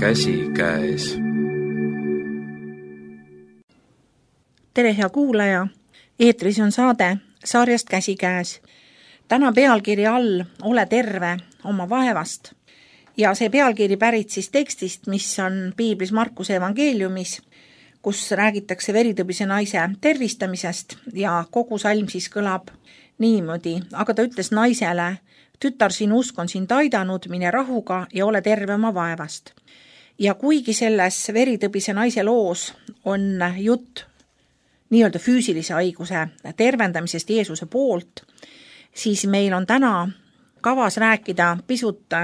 käsikäes. Tere, hea kuulaja! Eetris on saade sarjast Käsikäes. Täna pealkiri all Ole terve oma vaevast. Ja see pealkiri pärit siis tekstist, mis on piiblis Markuse evangeeliumis, kus räägitakse veritõbise naise tervistamisest ja kogu salm siis kõlab niimoodi. Aga ta ütles naisele: tütar, sinu usk on sind aidanud, mine rahuga ja ole terve oma vaevast. Ja kuigi selles veritõbise naise loos on jutt nii-öelda füüsilise haiguse tervendamisest Jeesuse poolt, siis meil on täna kavas rääkida pisut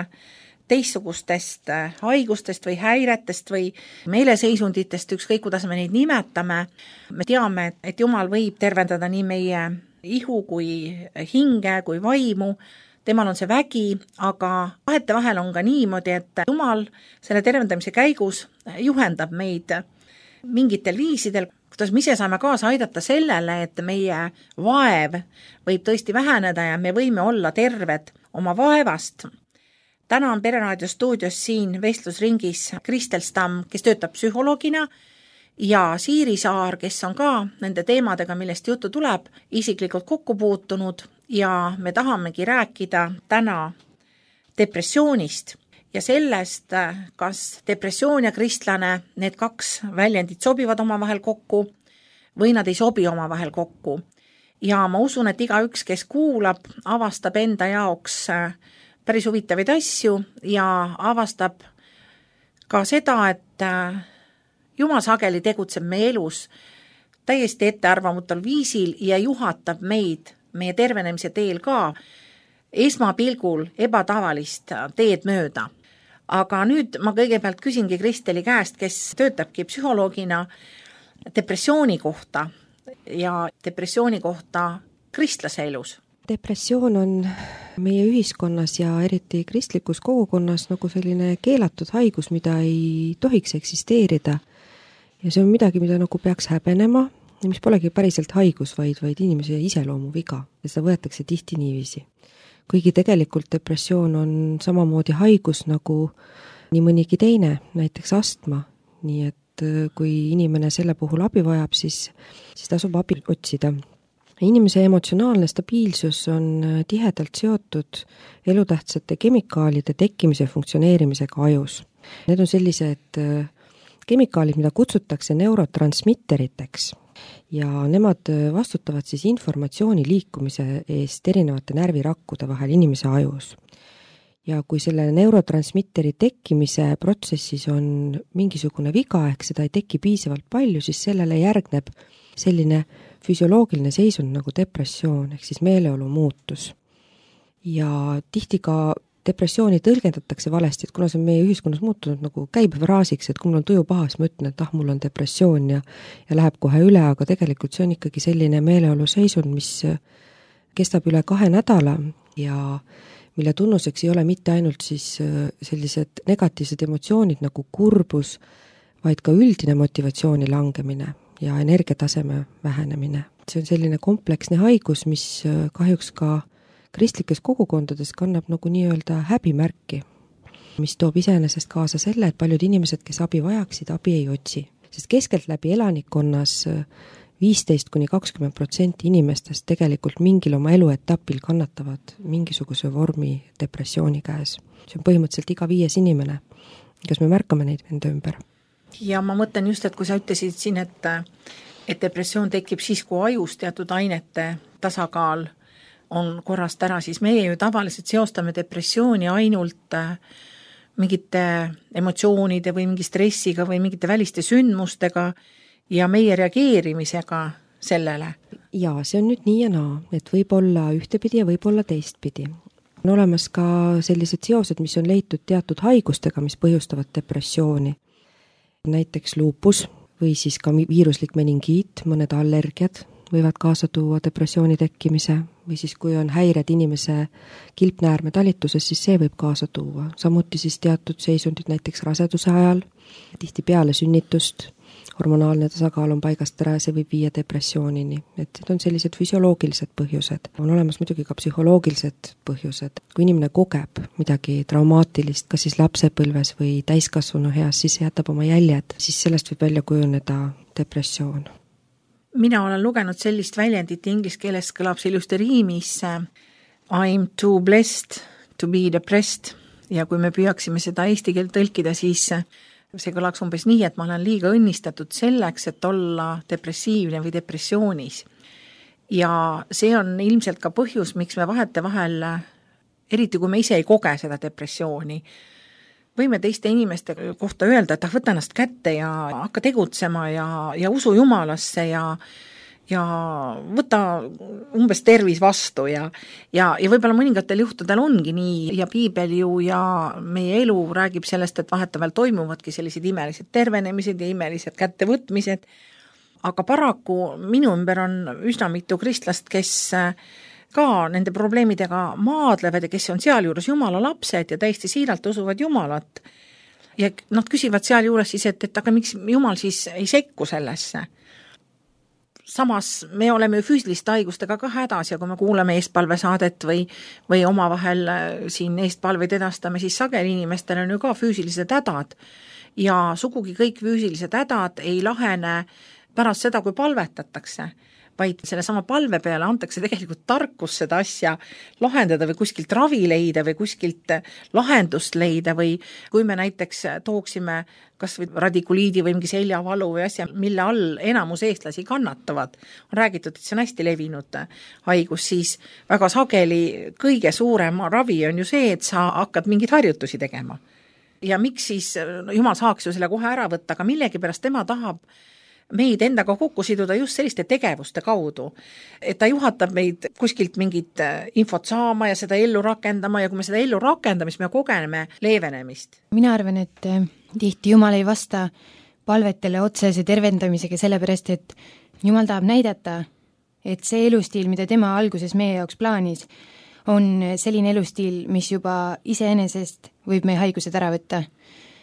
teistsugustest haigustest või häiretest või meeleseisunditest, ükskõik kuidas me neid nimetame. Me teame, et Jumal võib tervendada nii meie ihu kui hinge kui vaimu. Temal on see vägi, aga vahetevahel on ka niimoodi, et Jumal selle tervendamise käigus juhendab meid mingitel viisidel, kuidas me ise saame kaasa aidata sellele, et meie vaev võib tõesti väheneda ja me võime olla terved oma vaevast. Täna on Pereraadio stuudios siin vestlusringis Kristel Stamm, kes töötab psühholoogina, ja Siiri Saar, kes on ka nende teemadega, millest juttu tuleb, isiklikult kokku puutunud, ja me tahamegi rääkida täna depressioonist ja sellest, kas depressioon ja kristlane, need kaks väljendit sobivad omavahel kokku või nad ei sobi omavahel kokku. Ja ma usun, et igaüks, kes kuulab, avastab enda jaoks päris huvitavaid asju ja avastab ka seda, et Jumal sageli tegutseb meie elus täiesti ettearvamatul viisil ja juhatab meid meie tervenemise teel ka esmapilgul ebatavalist teed mööda. Aga nüüd ma kõigepealt küsingi Kristeli käest, kes töötabki psühholoogina, depressiooni kohta ja depressiooni kohta kristlase elus. Depressioon on meie ühiskonnas ja eriti kristlikus kogukonnas nagu selline keelatud haigus, mida ei tohiks eksisteerida. Ja see on midagi, mida nagu peaks häbenema ja mis polegi päriselt haigus, vaid inimese iseloomu viga. Ja seda võetakse tihti niiviisi. Kuigi tegelikult depressioon on samamoodi haigus nagu nii mõnigi teine, näiteks astma. Nii et kui inimene selle puhul abi vajab, siis tasub abi otsida. Inimese emotsionaalne stabiilsus on tihedalt seotud elutähtsate kemikaalide tekkimise funktsioneerimisega ajus. Need on sellised kemikaalid, mida kutsutakse neurotransmitteriteks ja nemad vastutavad siis informatsiooni liikumise eest erinevate närvirakkude vahel inimese ajus. Ja kui selle neurotransmitteri tekkimise protsessis on mingisugune viga, ehk seda ei teki piisavalt palju, siis sellele järgneb selline füsioloogiline seisund nagu depressioon, ehk siis meeleolu muutus. Ja tihti ka depressiooni tõlgendatakse valesti, et kuna see on meie ühiskonnas muutunud nagu käibefraasiks, et kui mul on tuju paha, siis ma ütlen, et mul on depressioon ja läheb kohe üle, aga tegelikult see on ikkagi selline meeleolu seisund, mis kestab üle 2 nädala ja mille tunnuseks ei ole mitte ainult siis sellised negatiivsed emotsioonid nagu kurbus, vaid ka üldine motivatsiooni langemine ja energiataseme vähenemine. See on selline kompleksne haigus, mis kahjuks ka kristlikes kogukondades kannab nagu nii-öelda häbimärki, mis toob iseenesest kaasa selle, et paljud inimesed, kes abi vajaksid, abi ei otsi. Sest keskelt läbi elanikkonnas 15–20% inimestest tegelikult mingil oma eluetapil kannatavad mingisuguse vormi depressiooni käes. See on põhimõtteliselt iga 5 inimene, kas me märkame neid enda ümber. Ja ma mõtlen just, et kui sa ütlesid siin, et depressioon tekib siis, kui ajus teatud ainete tasakaal on korrast ära, siis meie ju tavaliselt seostame depressiooni ainult mingite emotsioonide või mingi stressiga või mingite väliste sündmustega ja meie reageerimisega sellele. Ja see on nüüd nii ja naa, et võib olla ühtepidi ja võib olla teistpidi. On olemas ka sellised seosed, mis on leitud teatud haigustega, mis põhjustavad depressiooni. Näiteks luupus või siis ka viiruslik meningiit, mõned allergiad võivad kaasa tuua depressiooni tekkimise või siis kui on häired inimese kilpnäärme talituses, siis see võib kaasa tuua. Samuti siis teatud seisundid näiteks raseduse ajal, tihti peale sünnitust hormonaalne tasakaal on paigast ära ja see võib viia depressioonini. Et need on sellised füsioloogilised põhjused. On olemas muidugi ka psühholoogilised põhjused. Kui inimene kogeb midagi traumaatilist, kas siis lapsepõlves või täiskasvanu heas, siis see jätab oma jäljed, siis sellest võib välja kujuneda depressioon. Mina olen lugenud sellist väljendit, inglise keeles kõlab see ilusti riimis I'm too blessed to be depressed ja kui me püüaksime seda eesti keelt tõlkida, siis see kõlaks umbes nii, et ma olen liiga õnnistatud selleks, et olla depressiivne või depressioonis. Ja see on ilmselt ka põhjus, miks me vahetevahel, eriti kui me ise ei koge seda depressiooni, võime teiste inimeste kohta öelda, et võta ennast kätte ja hakka tegutsema ja usu Jumalasse ja võta umbes tervis vastu ja võib-olla mõningatel juhtudel ongi nii ja piibel ju ja meie elu räägib sellest, et vahetevahel toimuvadki sellised imelised tervenemised ja imelised kättevõtmised, aga paraku minu ümber on üsna mitu kristlast, kes ka nende probleemidega maadlevad ja kes on sealjuures Jumala lapsed ja täiesti siiralt usuvad Jumalat. Ja nad küsivad sealjuures siis, et aga miks Jumal siis ei sekku sellesse. Samas me oleme ju füüsiliste haigustega ka hädas ja kui me kuuleme eestpalvesaadet või omavahel siin eestpalveid edastame, siis sageli inimestel on ju ka füüsilised hädad ja sugugi kõik füüsilised hädad ei lahene pärast seda, kui palvetatakse, vaid selle sama palve peale antakse tegelikult tarkus seda asja lahendada või kuskilt ravi leida või kuskilt lahendust leida või kui me näiteks tooksime kas või radikuliidi või mingi seljavalu või asja, mille all enamus eestlasi kannatavad, on räägitud, et see on hästi levinud haigus, siis väga sageli kõige suurem ravi on ju see, et sa hakkad mingeid harjutusi tegema. Ja miks siis Jumal saaks ju selle kohe ära võtta, aga millegipärast tema tahab meid endaga kokku siduda just selliste tegevuste kaudu, et ta juhatab meid kuskilt mingit infot saama ja seda ellu rakendama ja kui me seda ellu rakendame, siis me kogeneme leevenemist. Mina arvan, et tihti Jumal ei vasta palvetele otsese tervendamisega sellepärast, et Jumal tahab näidata, et see elustiil, mida tema alguses meie jaoks plaanis, on selline elustiil, mis juba iseenesest võib meie haigused ära võtta.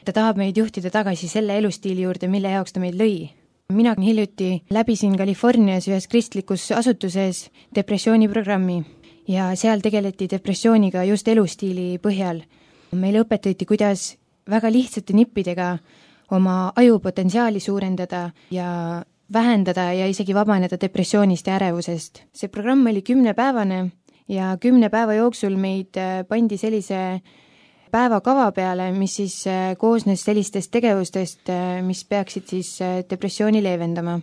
Ta tahab meid juhtida tagasi selle elustiili juurde, mille jaoks ta meid lõi. Mina hiljuti läbisin Californias ühes kristlikus asutuses depressiooniprogrammi ja seal tegeleti depressiooniga just elustiili põhjal. Meile õpetati, kuidas väga lihtsate nippidega oma ajupotentsiaali suurendada ja vähendada ja isegi vabaneda depressioonist ja ärevusest. See programm oli 10-päevane ja 10 päeva jooksul meid pandi sellise päevakava peale, mis siis koosnes sellistest tegevustest, mis peaksid siis depressiooni leevendama.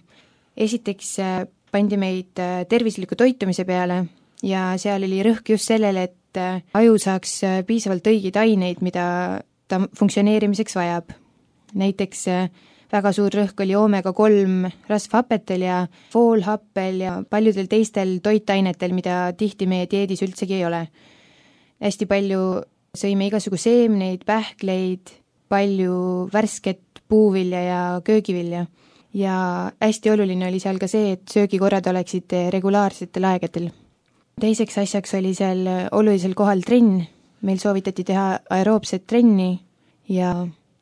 Esiteks pandi meid tervisliku toitumise peale ja seal oli rõhk just sellele, et aju saaks piisavalt õigeid aineid, mida ta funktsioneerimiseks vajab. Näiteks väga suur rõhk oli omega-3 rasvhappetel ja foolhappel ja paljudel teistel toitainetel, mida tihti meie dieedis üldsegi ei ole. Hästi palju sõime igasugu seemneid, pähkleid, palju värsket puuvilja ja köögivilja. Ja hästi oluline oli seal ka see, et söögikorrad oleksid regulaarsetel aegadel. Teiseks asjaks oli seal olulisel kohal trenn. Meil soovitati teha aeroobset trenni ja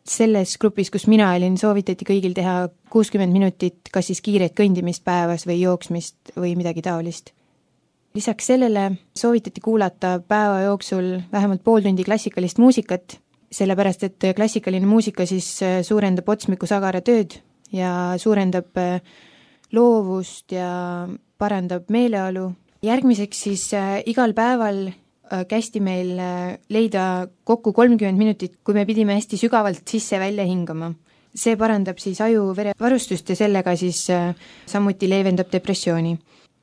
selles grupis, kus mina olin, soovitati kõigil teha 60 minutit kas siis kiiret kõndimist päevas või jooksmist või midagi taolist. Lisaks sellele soovitati kuulata päeva jooksul vähemalt pool tundi klassikalist muusikat, sellepärast et klassikaline muusika siis suurendab otsmiku sagara tööd ja suurendab loovust ja parandab meeleolu. Järgmiseks siis igal päeval kästi meil leida kokku 30 minutit, kui me pidime hästi sügavalt sisse-välja hingama. See parandab siis aju verevarustust ja sellega siis samuti leevendab depressiooni.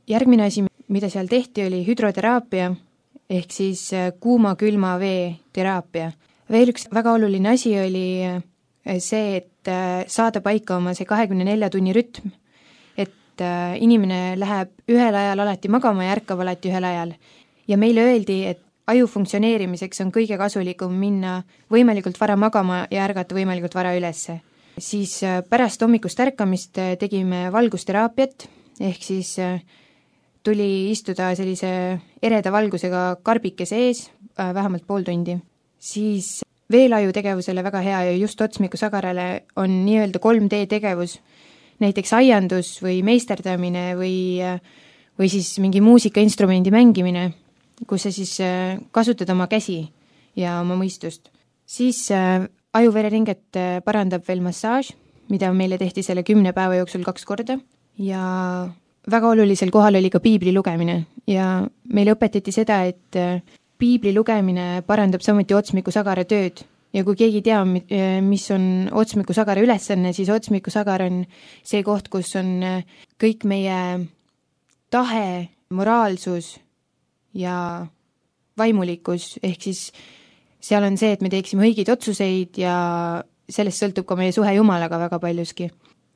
Järgmine asi, mida seal tehti, oli hüdroteraapia ehk siis kuuma-külma vee teraapia. Veel üks väga oluline asi oli see, et saada paika oma see 24 tunni rütm, et inimene läheb ühel ajal alati magama ja ärkab alati ühel ajal. Ja meile öeldi, et aju funktsioneerimiseks on kõige kasulikum minna võimalikult vara magama ja ärgata võimalikult vara ülesse. Siis pärast hommikust ärkamist tegime valgusteraapiat ehk siis tuli istuda sellise ereda valgusega karbikese ees vähemalt pool tundi. Siis veelaju tegevusele väga hea ja just otsmikusagarale on nii-öelda 3D tegevus, näiteks aiandus või meisterdamine või siis mingi muusikainstrumendi mängimine, kus sa siis kasutad oma käsi ja oma mõistust. Siis ajuvereringet parandab veel massaaž, mida meile tehti selle 10 päeva jooksul 2 korda ja väga olulisel kohal oli ka piibli lugemine ja meile õpetati seda, et piibli lugemine parandab samuti otsmikusagara tööd ja kui keegi tea, mis on otsmikusagara ülesanne, siis otsmikusagar on see koht, kus on kõik meie tahe, moraalsus ja vaimulikkus, ehk siis seal on see, et me teeksime õigeid otsuseid ja sellest sõltub ka meie suhe Jumalaga väga paljuski.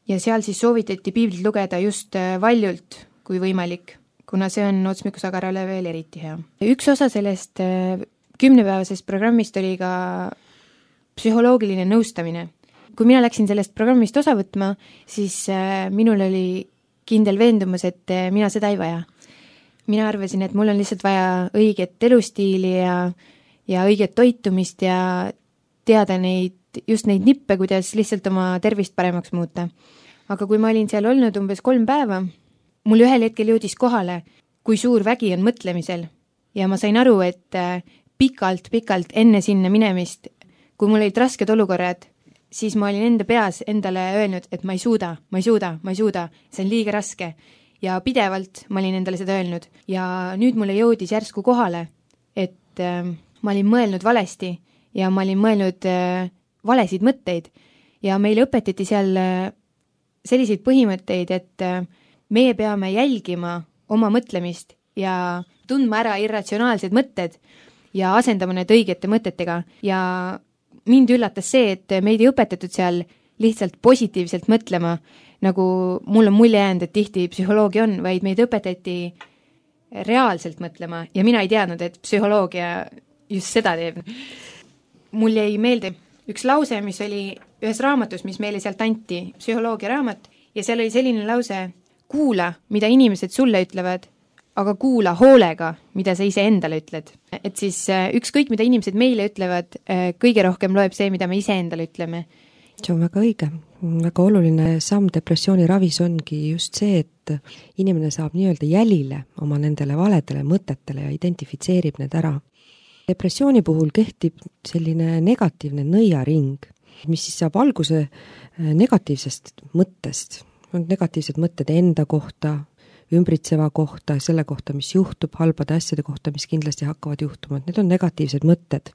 Ja seal siis soovitati piiblit lugeda just valjult, kui võimalik, kuna see on otsmikusagarale veel eriti hea. Üks osa sellest 10-päevasest programmist oli ka psühholoogiline nõustamine. Kui mina läksin sellest programmist osa võtma, siis minul oli kindel veendumus, et mina seda ei vaja. Mina arvasin, et mul on lihtsalt vaja õiget elustiili ja õiget toitumist ja teada just neid nippe, kuidas lihtsalt oma tervist paremaks muuta. Aga kui ma olin seal olnud umbes 3 päeva, mul ühel hetkel jõudis kohale, kui suur vägi on mõtlemisel ja ma sain aru, et pikalt enne sinna minemist, kui mul olid rasked olukorrad, siis ma olin enda peas endale öelnud, et ma ei suuda, see on liiga raske. Ja pidevalt ma olin endale seda öelnud. Ja nüüd mulle jõudis järsku kohale, et ma olin mõelnud valesti ja ma olin mõelnud valesid mõtteid. Ja meile õpetati seal selliseid põhimõtteid, et meie peame jälgima oma mõtlemist ja tundma ära irratsionaalsed mõtted ja asendama need õigete mõtetega. Ja mind üllatas see, et meid ei õpetatud seal lihtsalt positiivselt mõtlema, nagu mul on mulje jäänud, et tihti psühholoogia on, vaid meid õpetati reaalselt mõtlema ja mina ei teadnud, et psühholoogia just seda teeb. Mul jäi meelde üks lause, mis oli ühes raamatus, mis meile sealt anti, psühholoogia raamat, ja seal oli selline lause, kuula, mida inimesed sulle ütlevad, aga kuula hoolega, mida sa ise endale ütled. Et siis ükskõik, mida inimesed meile ütlevad, kõige rohkem loeb see, mida me ise endale ütleme. See on väga õige. Väga oluline samm depressiooni ravis ongi just see, et inimene saab nii-öelda jälile oma nendele valedele mõtetele ja identifitseerib need ära. Depressiooni puhul kehtib selline negatiivne nõiaring, mis siis saab alguse negatiivsest mõttest. On negatiivsed mõtted enda kohta, ümbritseva kohta, selle kohta, mis juhtub, halbade asjade kohta, mis kindlasti hakkavad juhtuma. Need on negatiivsed mõtted,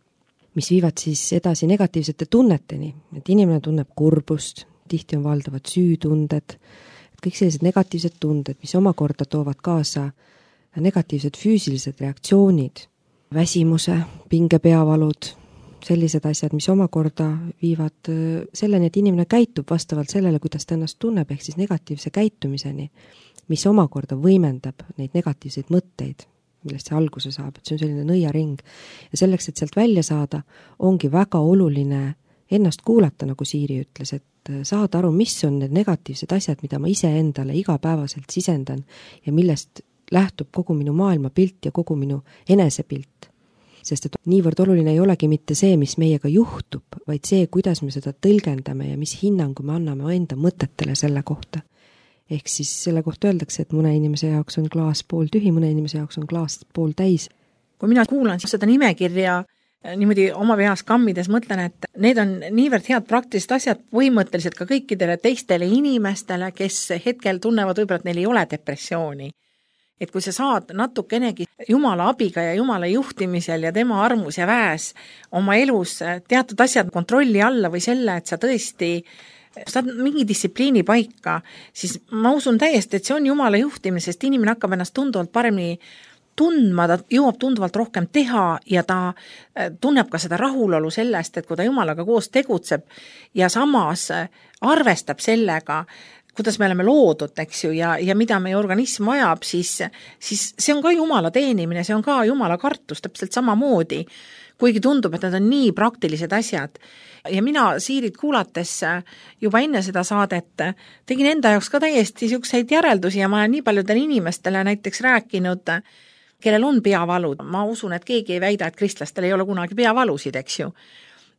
mis viivad siis edasi negatiivsete tunneteni, et inimene tunneb kurbust, tihti on valdavad süütunded, et kõik sellised negatiivsed tunded, mis omakorda toovad kaasa negatiivsed füüsilised reaktsioonid, väsimuse, pingepeavalud, sellised asjad, mis omakorda viivad selleni, et inimene käitub vastavalt sellele, kuidas ta ennast tunneb, ehk siis negatiivse käitumiseni, mis omakorda võimendab neid negatiivseid mõtteid, millest see alguse saab, et see on selline nõiaring. Ja selleks, et sealt välja saada, ongi väga oluline ennast kuulata, nagu Siiri ütles, et saada aru, mis on need negatiivsed asjad, mida ma ise endale igapäevaselt sisendan ja millest lähtub kogu minu maailmapilt ja kogu minu enesepilt. Sest et niivõrd oluline ei olegi mitte see, mis meiega juhtub, vaid see, kuidas me seda tõlgendame ja mis hinnangu me anname enda mõtetele selle kohta. Ehk siis selle kohta öeldakse, et mõne inimese jaoks on klaas pool tühi, mõne inimese jaoks on klaas pool täis. Kui mina kuulan seda nimekirja niimoodi oma peas kammides, mõtlen, et need on niivõrd head praktilised asjad põhimõtteliselt ka kõikidele teistele inimestele, kes hetkel tunnevad võib-olla, et neil ei ole depressiooni. Et kui sa saad natukenegi Jumala abiga ja Jumala juhtimisel ja tema armus ja väes oma elus teatud asjad kontrolli alla või selle, et sa tõesti saad mingi distsipliini paika, siis ma usun täiesti, et see on Jumala juhtimine, sest inimene hakkab ennast tunduvalt paremini tundma, ta jõuab tunduvalt rohkem teha ja ta tunneb ka seda rahulolu sellest, et kui ta Jumalaga koos tegutseb ja samas arvestab sellega, kuidas me oleme loodud, eks ju, ja mida meie organism vajab, siis see on ka Jumala teenimine, see on ka Jumala kartus täpselt samamoodi, kuigi tundub, et need on nii praktilised asjad. Ja mina Siirit kuulates juba enne seda saadet tegin enda jaoks ka täiesti niisuguseid järeldusi ja ma olen nii paljudele inimestele näiteks rääkinud, kellel on peavalud. Ma usun, et keegi ei väida, et kristlastel ei ole kunagi peavalusid, eks ju.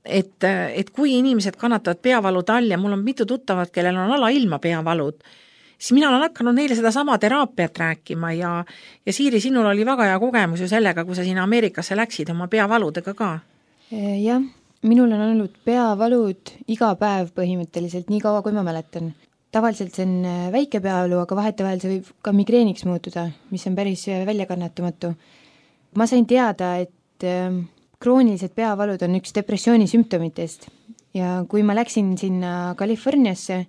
et kui inimesed kannatavad peavalude all ja mul on mitu tuttavat, kellel on alailma peavalud, siis mina olen hakanud neile seda sama teraapiat rääkima ja Siiri, sinul oli väga hea kogemus ju sellega, kui sa sinna Ameerikasse läksid oma peavaludega ka. Jah, minul on olnud peavalud iga päev põhimõtteliselt, nii kaua kui ma mäletan. Tavaliselt see on väike peavalu, aga vahetevahel see võib ka migreeniks muutuda, mis on päris väljakannatamatu. Ma sain teada, et kroonilised peavalud on üks depressiooni sümptomitest ja kui ma läksin sinna Californiasse,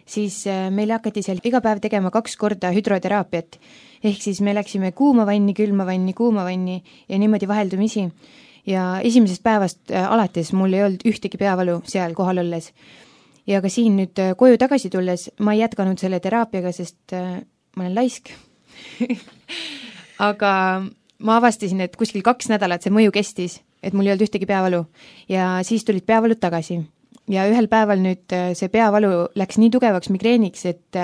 siis meile hakati seal iga päev tegema 2 korda hüdroteraapiat. Ehk siis me läksime kuuma vanni, külma vanni ja niimoodi vaheldumisi. Ja esimesest päevast alates mul ei olnud ühtegi peavalu seal kohal olles. Ja ka siin nüüd koju tagasi tulles ma ei jätkanud selle teraapiaga, sest ma olen laisk. Aga ma avastasin, et kuskil 2 nädalat see mõju kestis, et mul ei olnud ühtegi peavalu ja siis tulid peavalud tagasi. Ja ühel päeval nüüd see peavalu läks nii tugevaks migreeniks, et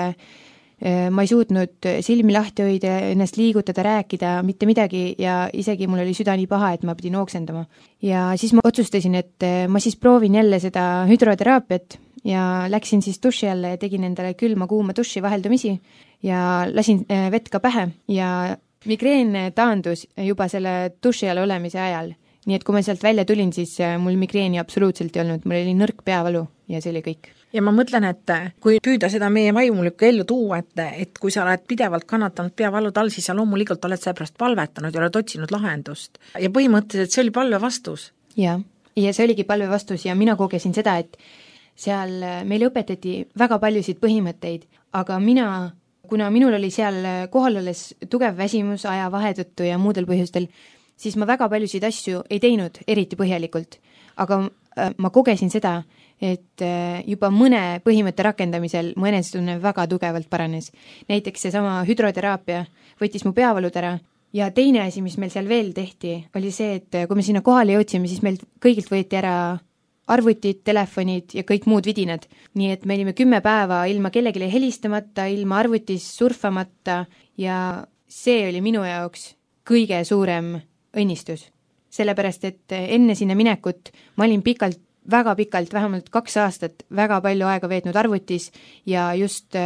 ma ei suutnud silmi lahti hoida, ennast liigutada, rääkida, mitte midagi ja isegi mul oli süda nii paha, et ma pidin ooksendama. Ja siis ma otsustasin, et ma siis proovin jälle seda hüdroteraapiat ja läksin siis duši alla ja tegin endale külma-kuuma duši vaheldumisi ja lasin vett ka pähe ja migreen taandus juba selle duši all olemise ajal. Nii et kui ma sealt välja tulin, siis mul migreeni absoluutselt ei olnud, mul oli nõrk peavalu ja see oli kõik. Ja ma mõtlen, et kui püüda seda meie vaimulikku ellu tuua, et kui sa oled pidevalt kannatanud peavalud all, siis sa loomulikult oled seepärast palvetanud ja oled otsinud lahendust. Ja põhimõtteliselt see oli palve vastus. Ja see oligi palve vastus ja mina kogesin seda, et seal meile õpetati väga paljusid põhimõtteid, aga kuna minul oli seal kohal olles tugev väsimus aja vahetõttu ja muudel põhjustel, siis ma väga paljusid asju ei teinud eriti põhjalikult, aga ma kogesin seda, et juba mõne põhimõtte rakendamisel mu enesetunne väga tugevalt paranes. Näiteks seesama hüdroteraapia võttis mu peavalud ära ja teine asi, mis meil seal veel tehti, oli see, et kui me sinna kohale jõudsime, siis meil kõigilt võeti ära arvutid, telefonid ja kõik muud vidinad. Nii et me olime 10 päeva ilma kellegile helistamata, ilma arvutis surfamata ja see oli minu jaoks kõige suurem õnnistus. Sellepärast, et enne sinna minekut ma olin väga pikalt, vähemalt 2 aastat väga palju aega veetnud arvutis ja just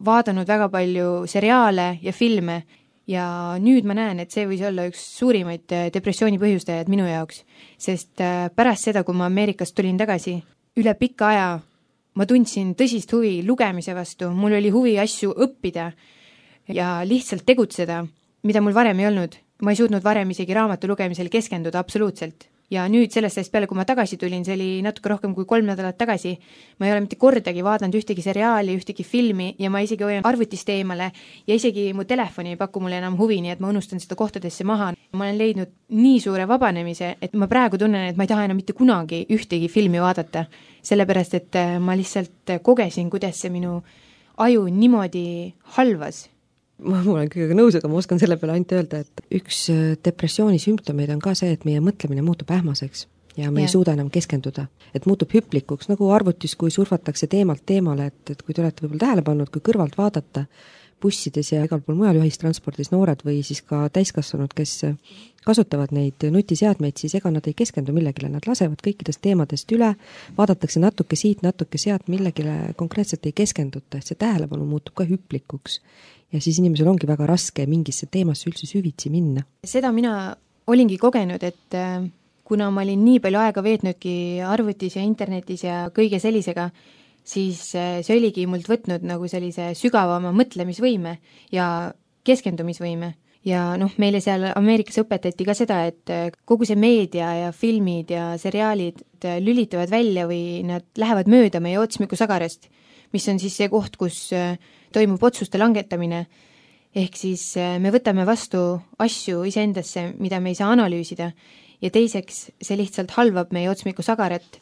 vaadanud väga palju seriaale ja filme ja nüüd ma näen, et see võis olla üks suurimaid depressiooni põhjustajad minu jaoks, sest pärast seda, kui ma Ameerikast tulin tagasi, üle pika aja ma tundsin tõsist huvi lugemise vastu, mul oli huvi asju õppida ja lihtsalt tegutseda, mida mul varem ei olnud. Ma ei suutnud varem isegi raamatu lugemisel keskenduda absoluutselt. Ja nüüd sellest ajast peale, kui ma tagasi tulin, see oli natuke rohkem kui 3 nädalat tagasi, ma ei ole mitte kordagi vaadanud ühtegi seriaali, ühtegi filmi ja ma isegi hoian arvutist eemale ja isegi mu telefoni ei paku mulle enam huvi, nii et ma unustan seda kohtadesse maha. Ma olen leidnud nii suure vabanemise, et ma praegu tunnen, et ma ei taha enam mitte kunagi ühtegi filmi vaadata, sellepärast et ma lihtsalt kogesin, kuidas see minu aju niimoodi halvas. Ma olen kõigega nõus, aga ma oskan selle peale ainult öelda, et üks depressiooni sümptomeid on ka see, et meie mõtlemine muutub ähmaseks ja me ei suuda enam keskenduda. Et muutub hüplikuks, nagu arvutis, kui surfatakse teemalt teemale, et kui te olete võib-olla tähele pannud, kui kõrvalt vaadata bussides ja igal pool mujal ühistranspordis noored või siis ka täiskasvanud, kes kasutavad neid nutiseadmeid, siis ega nad ei keskendu millegile, nad lasevad kõikidest teemadest üle, vaadatakse natuke siit, natuke sealt, millegile konkreetselt ei keskenduta, et see tähelepanu muutub ka hüplikuks. Ja siis inimesel ongi väga raske mingisse teemasse üldse süvitsi minna. Seda mina olingi kogenud, et kuna ma olin nii palju aega veetnudki arvutis ja internetis ja kõige sellisega, siis see oligi mult võtnud nagu sellise sügavama mõtlemisvõime ja keskendumisvõime. Ja meile seal Ameerikas õpetati ka seda, et kogu see meedia ja filmid ja seriaalid lülitavad välja või nad lähevad mööda meie otsmikussagarast, mis on siis see koht, kus toimub otsuste langetamine. Ehk siis me võtame vastu asju iseendasse, mida me ei saa analüüsida ja teiseks see lihtsalt halvab meie otsmikusagarat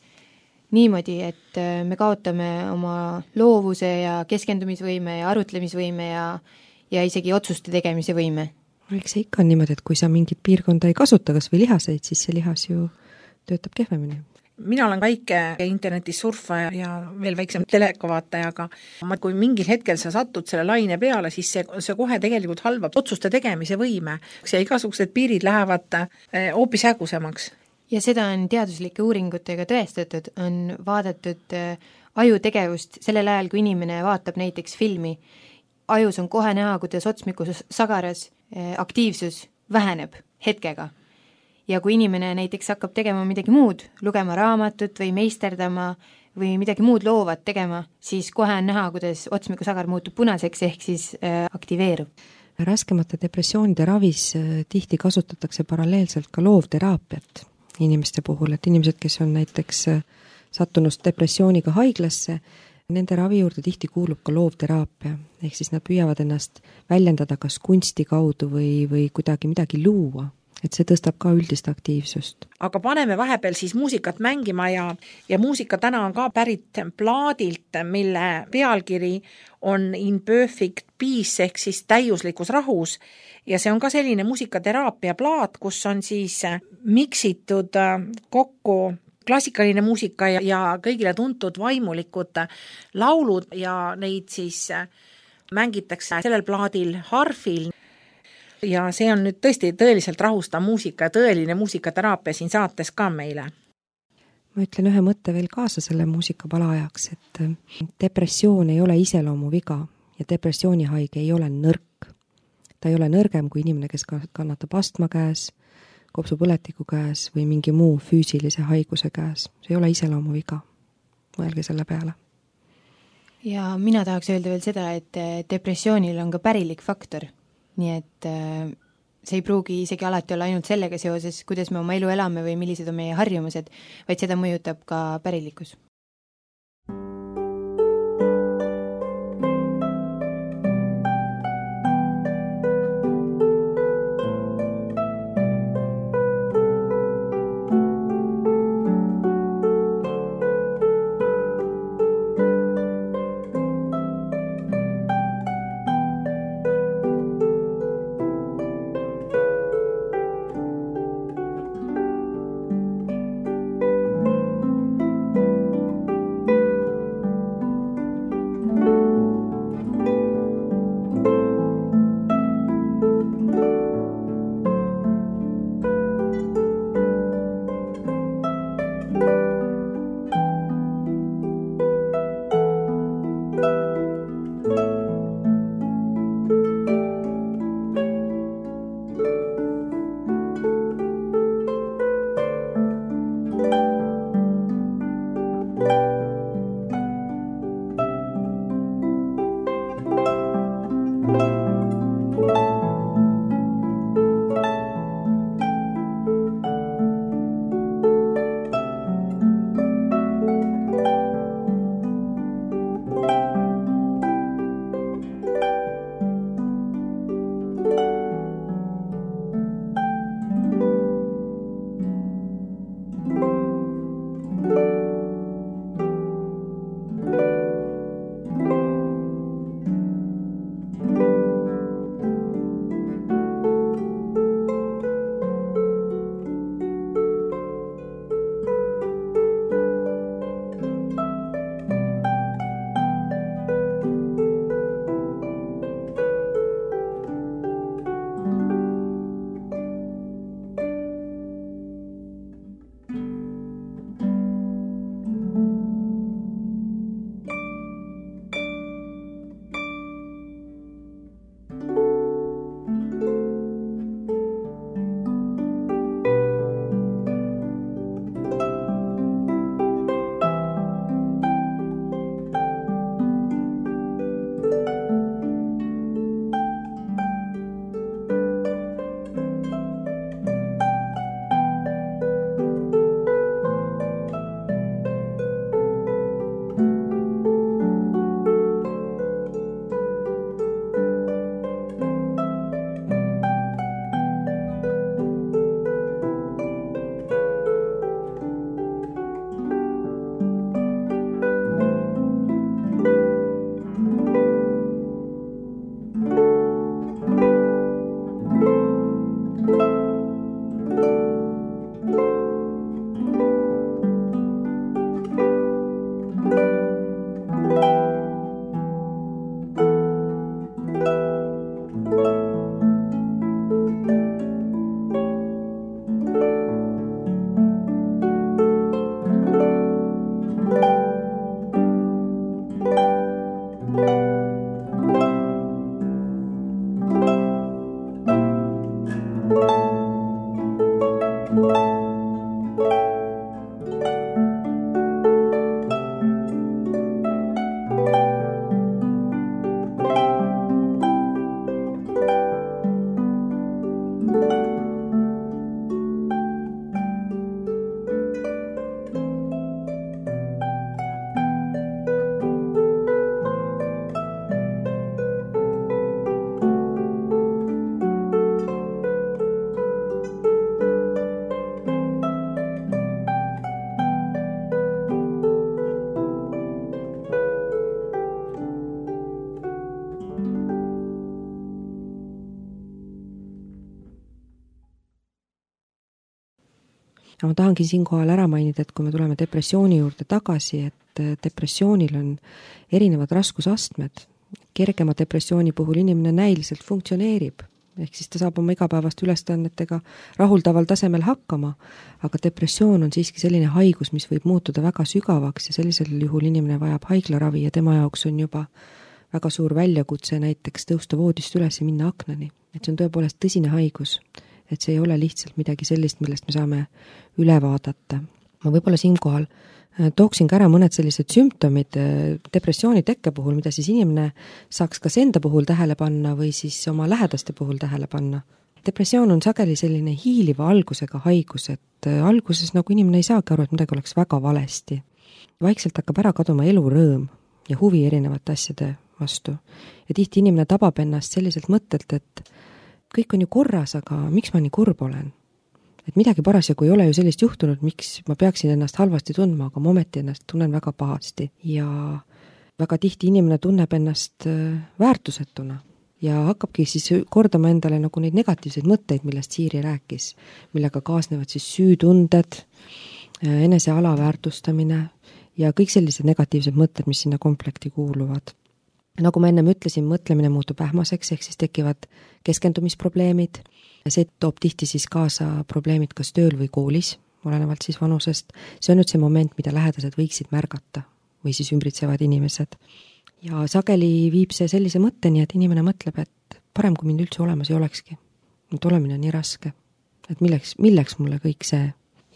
niimoodi, et me kaotame oma loovuse ja keskendumisvõime ja arutlemisvõime ja isegi otsuste tegemise võime. Eks see ikka on niimoodi, et kui sa mingit piirkonda ei kasuta, kas või lihaseid, siis see lihas ju töötab kehvemini. Mina olen väike internetis surfaja ja veel väiksem telekavaataja, aga kui mingil hetkel sa satud selle laine peale, siis see kohe tegelikult halvab otsuste tegemise võime. Ja igasugused piirid lähevad hoopis hägusemaks. ja seda on teaduslike uuringutega tõestatud, on vaadatud ajutegevust sellel ajal, kui inimene vaatab näiteks filmi. Ajus on kohe näha, kuidas otsmikus sagaras aktiivsus väheneb hetkega. Ja kui inimene näiteks hakkab tegema midagi muud, lugema raamatut või meisterdama või midagi muud loovat tegema, siis kohe on näha, kuidas otsmikusagar muutub punaseks ehk siis aktiveerub. Raskemate depressioonide ravis tihti kasutatakse paralleelselt ka loovteraapiat inimeste puhul, et inimesed, kes on näiteks sattunud depressiooniga haiglasse, nende ravi juurde tihti kuulub ka loovteraapia, ehk siis nad püüavad ennast väljendada kas kunsti kaudu või kuidagi midagi luua, et see tõstab ka üldist aktiivsust. Aga paneme vahepeal siis muusikat mängima ja muusika täna on ka pärit plaadilt, mille pealkiri on In Perfect Peace ehk siis täiuslikus rahus ja see on ka selline muusikateraapia plaat, kus on siis miksitud kokku klassikaline muusika ja kõigile tuntud vaimulikud laulud ja neid siis mängitakse sellel plaadil harfil. Ja see on nüüd tõesti tõeliselt rahustav muusika ja tõeline muusikateraapia siin saates ka meile. Ma ütlen ühe mõtte veel kaasa selle muusikapala ajaks, et depressioon ei ole iseloomuviga ja depressioonihaige ei ole nõrk. Ta ei ole nõrgem kui inimene, kes kannatab astma käes, kopsupõletiku käes või mingi muu füüsilise haiguse käes. See ei ole iseloomuviga. Mõelge selle peale. Ja mina tahaks öelda veel seda, et depressioonil on ka pärilik faktor. Nii et see ei pruugi isegi alati olla ainult sellega seoses, kuidas me oma elu elame või millised on meie harjumused, vaid seda mõjutab ka pärilikkus. ja ma tahangi siinkohal ära mainida, et kui me tuleme depressiooni juurde tagasi, et depressioonil on erinevad raskusastmed. Kergema depressiooni puhul inimene näiliselt funktsioneerib, ehk siis ta saab oma igapäevast ülesannetega rahuldaval tasemel hakkama, aga depressioon on siiski selline haigus, mis võib muutuda väga sügavaks ja sellisel juhul inimene vajab haiglaravi ja tema jaoks on juba väga suur väljakutse näiteks tõusta voodist üles ja minna aknani. Et see on tõepoolest tõsine haigus, et see ei ole lihtsalt midagi sellist, millest me saame üle vaadata. Ma võib-olla siinkohal tooksin ka ära mõned sellised sümptomid depressiooni tekke puhul, mida siis inimene saaks kas enda puhul tähele panna või siis oma lähedaste puhul tähele panna. Depressioon on sageli selline hiiliva algusega haigus, et alguses nagu inimene ei saagi aru, et midagi oleks väga valesti. Vaikselt hakkab ära kaduma elurõõm ja huvi erinevate asjade vastu. Ja tihti inimene tabab ennast selliselt mõttelt, et kõik on ju korras, aga miks ma nii kurb olen? Et midagi parasjagu ei ole ju sellist juhtunud, miks ma peaksin ennast halvasti tundma, aga ma ometi ennast tunnen väga pahasti. Ja väga tihti inimene tunneb ennast väärtusetuna ja hakkabki siis kordama endale nagu neid negatiivseid mõtteid, millest Siiri rääkis, millega kaasnevad siis süütunded, enese alaväärtustamine ja kõik sellised negatiivsed mõtted, mis sinna komplekti kuuluvad. Nagu ma ennem ütlesin, mõtlemine muutub ähmaseks, ehk siis tekivad keskendumisprobleemid. See toob tihti siis kaasa probleemid kas tööl või koolis, olenevalt siis vanusest. See on nüüd see moment, mida lähedased võiksid märgata või siis ümbritsevad inimesed. Ja sageli viib see sellise mõtteni, et inimene mõtleb, et parem kui mind üldse olemas ei olekski. Et olemine on nii raske. Et milleks mulle kõik see?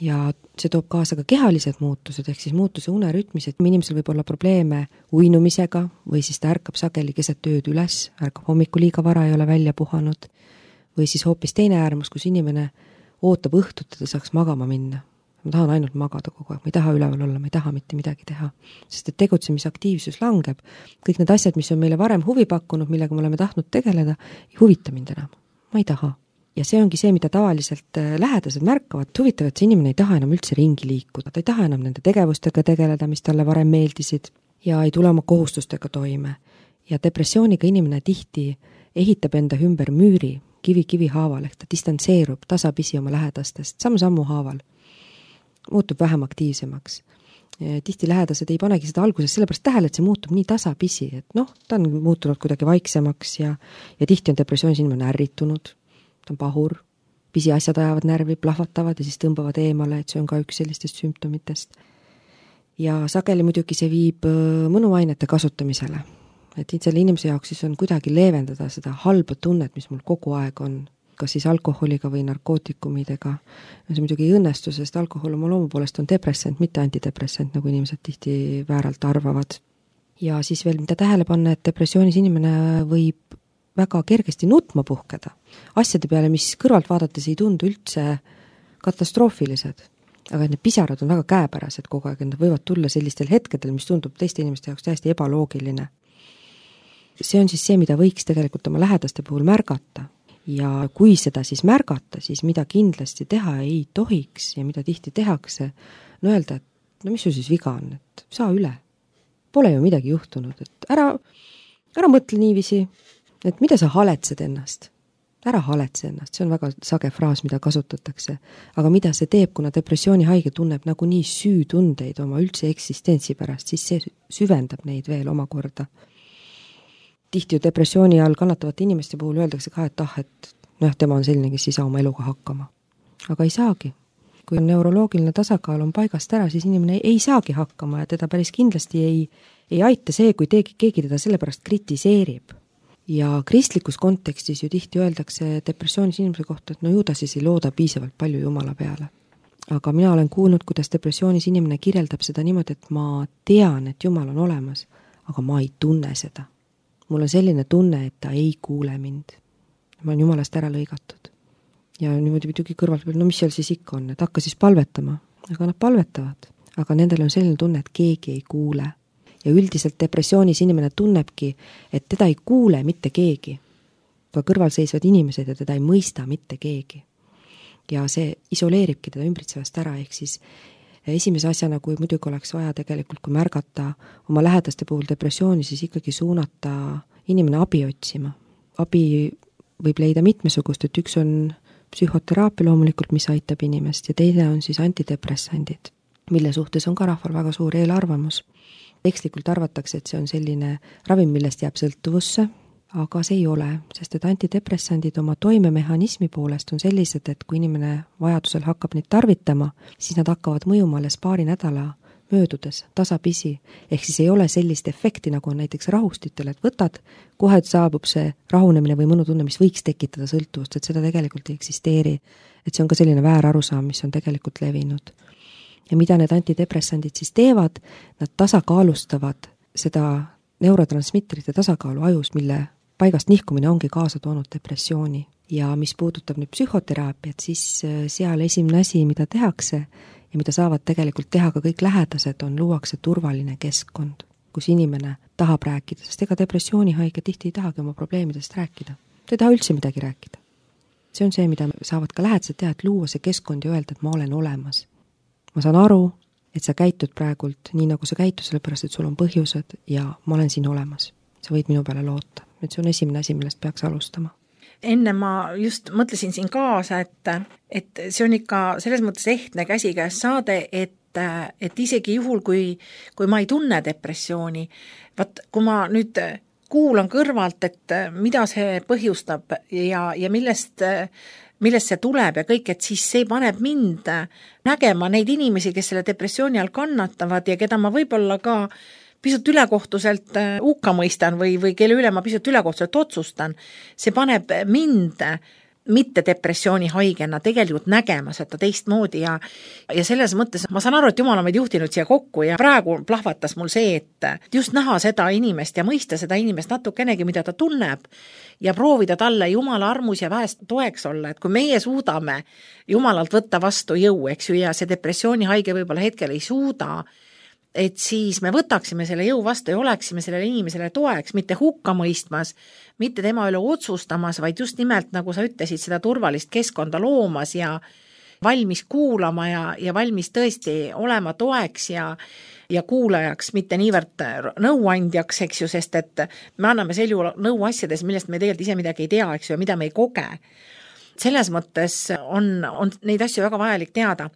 Ja see toob kaasa ka kehalised muutused, ehk siis muutuse unerütmis, et inimesel võib olla probleeme uinumisega või siis ta ärkab sageli keset ööd üles, ärkab hommikul liiga vara, ei ole välja puhanud, või siis hoopis teine äärmus, kus inimene ootab õhtut, et ta saaks magama minna. Ma tahan ainult magada kogu aeg, ma ei taha üleval olla, ma ei taha mitte midagi teha, sest et tegutsemisaktiivsus langeb. Kõik need asjad, mis on meile varem huvi pakkunud, millega me oleme tahtnud tegeleda, ei huvita mind enam, ma ei taha. Ja see ongi see, mida tavaliselt lähedased märkavad, huvitav, et see inimene ei taha enam üldse ringi liikuda, ta ei taha enam nende tegevustega tegeleda, mis talle varem meeldisid ja ei tule oma kohustustega toime. Ja depressiooniga inimene tihti ehitab enda ümber müüri kivi haaval, ehk ta distantseerub tasapisi oma lähedastest, sammu haaval, muutub vähem aktiivsemaks. Tihti lähedased ei panegi seda alguses sellepärast tähele, et see muutub nii tasapisi, et ta on muutunud kuidagi vaiksemaks ja tihti on depressioonis inimene ärritunud, ta on pahur, pisiasjad ajavad närvi, plahvatavad ja siis tõmbavad eemale, et see on ka üks sellistest sümptomitest. Ja sageli muidugi see viib mõnuainete kasutamisele. Et selle inimese jaoks siis on kuidagi leevendada seda halba tunnet, mis mul kogu aeg on, kas siis alkoholiga või narkootikumidega. See muidugi ei õnnestu, sest alkohol oma loomu poolest on depressant, mitte antidepressant, nagu inimesed tihti vääralt arvavad. Ja siis veel mida tähele panna, et depressioonis inimene võib väga kergesti nutma puhkeda. Asjade peale, mis kõrvalt vaadates ei tundu üldse katastroofilised, aga need pisarad on väga käepärased kogu aeg, nad võivad tulla sellistel hetkedel, mis tundub teiste inimeste jaoks täiesti ebaloogiline. See on siis see, mida võiks tegelikult oma lähedaste puhul märgata. Ja kui seda siis märgata, siis mida kindlasti teha ei tohiks ja mida tihti tehakse, öelda, et mis sul siis viga on, et saa üle. Pole ju midagi juhtunud, et ära mõtle niiviisi, et mida sa haletsed ennast. Ära haletse ennast, see on väga sage fraas, mida kasutatakse. Aga mida see teeb, kuna depressiooni haige tunneb nagu nii süütundeid oma üldse eksistentsi pärast, siis see süvendab neid veel omakorda. Tihti ju depressiooni all kannatavate inimeste puhul öeldakse ka, et tema on selline, kes ei saa oma eluga hakkama. Aga ei saagi. Kui neuroloogiline tasakaal on paigast ära, siis inimene ei saagi hakkama ja teda päris kindlasti ei aita see, kui keegi teda sellepärast kritiseerib. Ja kristlikus kontekstis ju tihti öeldakse depressioonis inimese kohta, et ju ta siis ei looda piisavalt palju Jumala peale. Aga mina olen kuulnud, kuidas depressioonis inimene kirjeldab seda niimoodi, et ma tean, et Jumal on olemas, aga ma ei tunne seda. Mul on selline tunne, et ta ei kuule mind. Ma olen Jumalast ära lõigatud. Ja niimoodi muidugi kõrvalt, mis seal siis ikka on, et hakka siis palvetama. Aga nad palvetavad. Aga nendel on selline tunne, et keegi ei kuule. Ja üldiselt depressioonis inimene tunnebki, et teda ei kuule mitte keegi. Ka kõrval seisvad inimesed ja teda ei mõista mitte keegi. Ja see isoleeribki teda ümbritsevast ära, ehk siis esimese asjana, kui muidugi oleks vaja tegelikult, kui märgata oma lähedaste puhul depressiooni, siis ikkagi suunata inimene abi otsima. Abi võib leida mitmesugust, et üks on psühhoteraapia loomulikult, mis aitab inimest, ja teine on siis antidepressandid, mille suhtes on ka rahval väga suur eelarvamus. Ekslikult arvatakse, et see on selline ravim, millest jääb sõltuvusse, aga see ei ole, sest et antidepressandid oma toimemehhanismi poolest on sellised, et kui inimene vajadusel hakkab neid tarvitama, siis nad hakkavad mõjuma alles paari nädala möödudes, tasapisi, ehk siis ei ole sellist efekti, nagu on näiteks rahustitel, et võtad, kohe saabub see rahunemine või mõnutunne, mis võiks tekitada sõltuvust, et seda tegelikult ei eksisteeri. Et see on ka selline väärarusaam, mis on tegelikult levinud. Ja mida need antidepressandid siis teevad, nad tasakaalustavad seda neurotransmitterite tasakaalu ajus, mille paigast nihkumine ongi kaasa toonud depressiooni. Ja mis puudutab nüüd psühhoteraapiat, siis seal esimene asi, mida tehakse ja mida saavad tegelikult teha ka kõik lähedased, on luuakse turvaline keskkond, kus inimene tahab rääkida, sest ega depressioonihaige tihti ei tahagi oma probleemidest rääkida. Ta ei taha üldse midagi rääkida. See on see, mida saavad ka lähedased teha, et luua see keskkond ja öelda, et ma olen olemas. Ma saan aru, et sa käitud praegult nii, nagu sa käitud, sellepärast, et sul on põhjused ja ma olen siin olemas. Sa võid minu peale loota. Et see on esimene asi, millest peaks alustama. Enne ma just mõtlesin siin kaasa, et see on ikka selles mõttes ehtne käsikäes saade, et isegi juhul, kui ma ei tunne depressiooni, kui ma nüüd kuulan kõrvalt, et mida see põhjustab ja millest see tuleb ja kõik, et siis see paneb mind nägema neid inimesi, kes selle depressiooni all kannatavad ja keda ma võib-olla ka pisut ülekohtuselt hukka mõistan või kelle üle ma pisut ülekohtuselt otsustan. See paneb mind mitte depressiooni haigena tegelikult nägema seda teistmoodi ja selles mõttes ma saan aru, et Jumal on meid juhtinud siia kokku ja praegu plahvatas mul see, et just näha seda inimest ja mõista seda inimest natukenegi, mida ta tunneb ja proovida talle Jumala armus ja vähest toeks olla, et kui meie suudame Jumalalt võtta vastu jõu, eks ju, ja see depressiooni haige võib-olla hetkel ei suuda, et siis me võtaksime selle jõu vastu ja oleksime sellele inimesele toeks, mitte hukka mõistmas, mitte tema üle otsustamas, vaid just nimelt, nagu sa ütlesid, seda turvalist keskkonda loomas ja valmis kuulama ja valmis tõesti olema toeks ja kuulajaks, mitte niivõrd nõuandjaks, eks ju, sest et me anname sel juhul nõu asjades, millest me tegelikult ise midagi ei tea, eks ju, ja mida me ei koge. Selles mõttes on neid asju väga vajalik teada.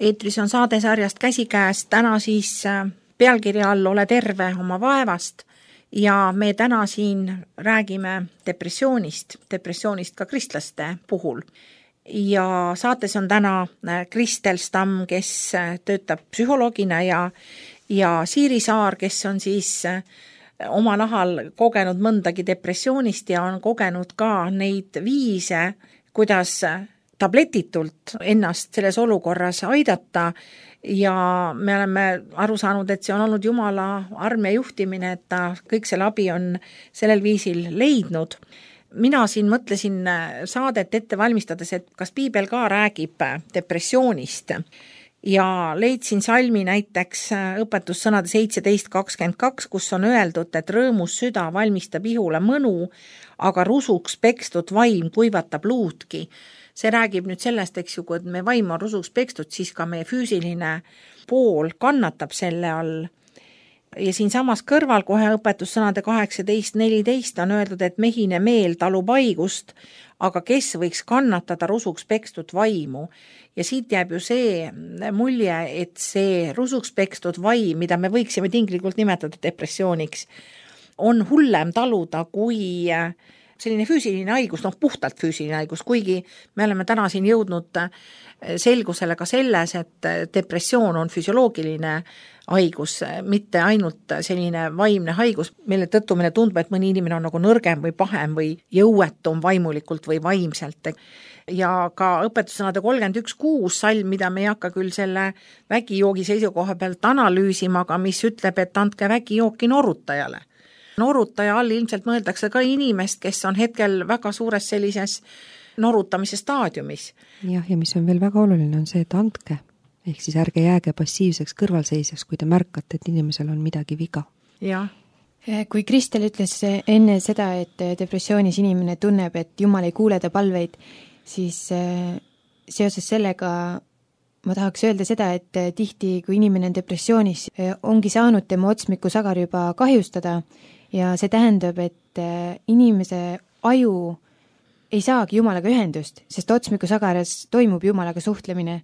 Eetris on saadesarjast Käsikäes, täna siis pealkirja all Ole terve oma vaevast ja me täna siin räägime depressioonist ka kristlaste puhul. Ja saates on täna Kristel Stamm, kes töötab psühholoogina ja Siiri Saar, kes on siis oma nahal kogenud mõndagi depressioonist ja on kogenud ka neid viise, kuidas tabletitult ennast selles olukorras aidata ja me oleme aru saanud, et see on olnud Jumala arm ja juhtimine, et ta kõik selle abi on sellel viisil leidnud. Mina siin mõtlesin saadet ette valmistades, et kas piibel ka räägib depressioonist ja leidsin salmi näiteks õpetussõnade 17:22, kus on öeldud, et rõõmus süda valmistab ihule mõnu, aga rusuks pekstud vaim kuivatab luudki. See räägib nüüd sellest, eks ju, kui me vaim on rusuks pekstud, siis ka meie füüsiline pool kannatab selle all. Ja siin samas kõrval kohe õpetussõnade 18:14 on öeldud, et mehine meel talub haigust, aga kes võiks kannatada rusuks pekstud vaimu. Ja siit jääb ju see mulje, et see rusuks pekstud vaim, mida me võiksime tinglikult nimetada depressiooniks, on hullem taluda kui selline füüsiline haigus, puhtalt füüsiline haigus, kuigi me oleme täna siin jõudnud selgusele ka selles, et depressioon on füsioloogiline haigus, mitte ainult selline vaimne haigus, mille tõttu meile tundub, et mõni inimene on nagu nõrgem või pahem või jõuetum vaimulikult või vaimselt. Ja ka õpetussõnade 31:6 salm, mida me ei hakka küll selle vägijoogi seisukoha pealt analüüsima, aga mis ütleb, et andke vägijooki norutajale. Norutaja all ilmselt mõeldakse ka inimest, kes on hetkel väga suures sellises norutamise staadiumis. Ja mis on veel väga oluline, on see, et andke. Ehk siis ärge jääge passiivseks kõrvalseisjaks, kui te märkate, et inimesel on midagi viga. Jah. Kui Kristel ütles enne seda, et depressioonis inimene tunneb, et Jumal ei kuule ta palveid, siis seoses sellega ma tahaks öelda seda, et tihti, kui inimene on depressioonis, ongi saanud tema otsmikusagar juba kahjustada ja see tähendab, et inimese aju ei saagi Jumalaga ühendust, sest otsmikusagaras toimub Jumalaga suhtlemine.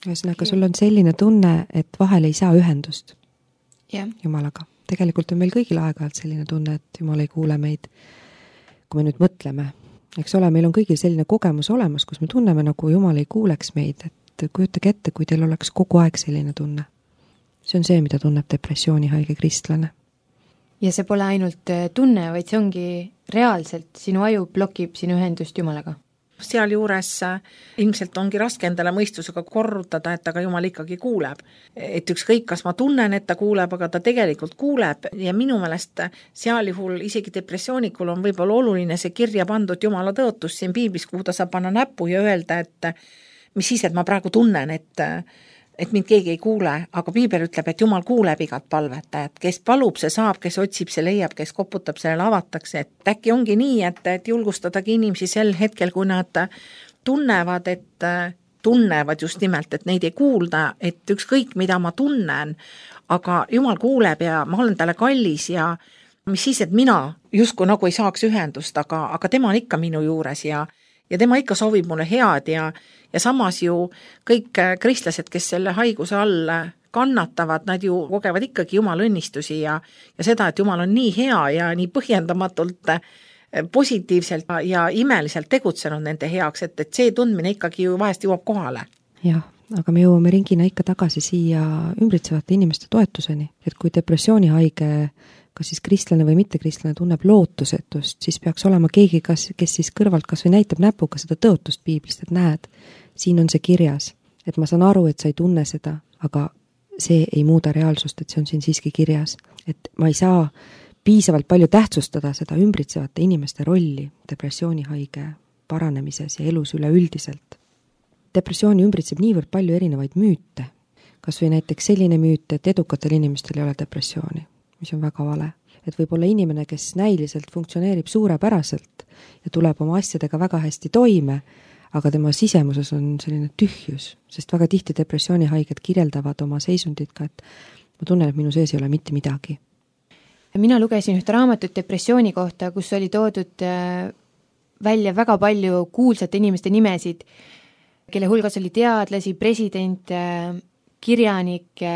Ühesõnaga, sul on selline tunne, et vahel ei saa ühendust Jumalaga. Tegelikult on meil kõigil aeg-ajalt selline tunne, et Jumal ei kuule meid, kui me nüüd mõtleme. Eks ole, meil on kõigil selline kogemus olemas, kus me tunneme, nagu Jumal ei kuuleks meid, et kujutage ette, kui teil oleks kogu aeg selline tunne. See on see, mida tunneb depressiooni haige kristlane. Ja see pole ainult tunne, vaid see ongi reaalselt, sinu aju blokib sinu ühendust Jumalaga. Seal juures ilmselt ongi raske endale mõistusega korrutada, et aga Jumal ikkagi kuuleb. Et ükskõik, kas ma tunnen, et ta kuuleb, aga ta tegelikult kuuleb ja minu meelest seal juhul isegi depressioonikul on võib-olla oluline see kirja pandud Jumala tõotus siin piiblis, kuhu ta saab panna näpu ja öelda, et mis siis, et ma praegu tunnen, et mind keegi ei kuule, aga piibel ütleb, et Jumal kuuleb igat palvetajat, kes palub, see saab, kes otsib, see leiab, kes koputab, sellele avatakse, et äkki ongi nii, et julgustadagi inimesi sel hetkel, kui nad tunnevad, tunnevad just nimelt, et neid ei kuulda, et ükskõik, mida ma tunnen, aga Jumal kuuleb ja ma olen talle kallis ja mis siis, et mina justkui nagu ei saaks ühendust, aga tema on ikka minu juures ja tema ikka soovib mulle head ja samas ju kõik kristlased, kes selle haiguse all kannatavad, nad ju kogevad ikkagi Jumala õnnistusi ja seda, et Jumal on nii hea ja nii põhjendamatult positiivselt ja imeliselt tegutsenud nende heaks, et see tundmine ikkagi ju vahest jõuab kohale. Jah, aga me jõuame ringina ikka tagasi siia ümbritsevate inimeste toetuseni, et kui depressioonihaige kas siis kristlane või mittekristlane tunneb lootusetust, siis peaks olema keegi, kes siis kõrvalt kas või näitab näpuga seda tõotust piiblist, et näed, siin on see kirjas, et ma saan aru, et sa ei tunne seda, aga see ei muuda reaalsust, et see on siin siiski kirjas, et ma ei saa piisavalt palju tähtsustada seda ümbritsevate inimeste rolli depressioonihaige paranemises ja elus üleüldiselt. Depressiooni ümbritseb niivõrd palju erinevaid müüte, kas või näiteks selline müüt, et edukatel inimestel ei ole depressiooni, mis on väga vale. Et võib olla inimene, kes näiliselt funktsioneerib suurepäraselt ja tuleb oma asjadega väga hästi toime, aga tema sisemuses on selline tühjus, sest väga tihti depressioonihaiged kirjeldavad oma seisundit ka, et ma tunnen, et minu sees ei ole mitte midagi. Mina lugesin ühte raamatut depressiooni kohta, kus oli toodud välja väga palju kuulsate inimeste nimesid, kelle hulgas oli teadlasi, presidente, kirjanikke,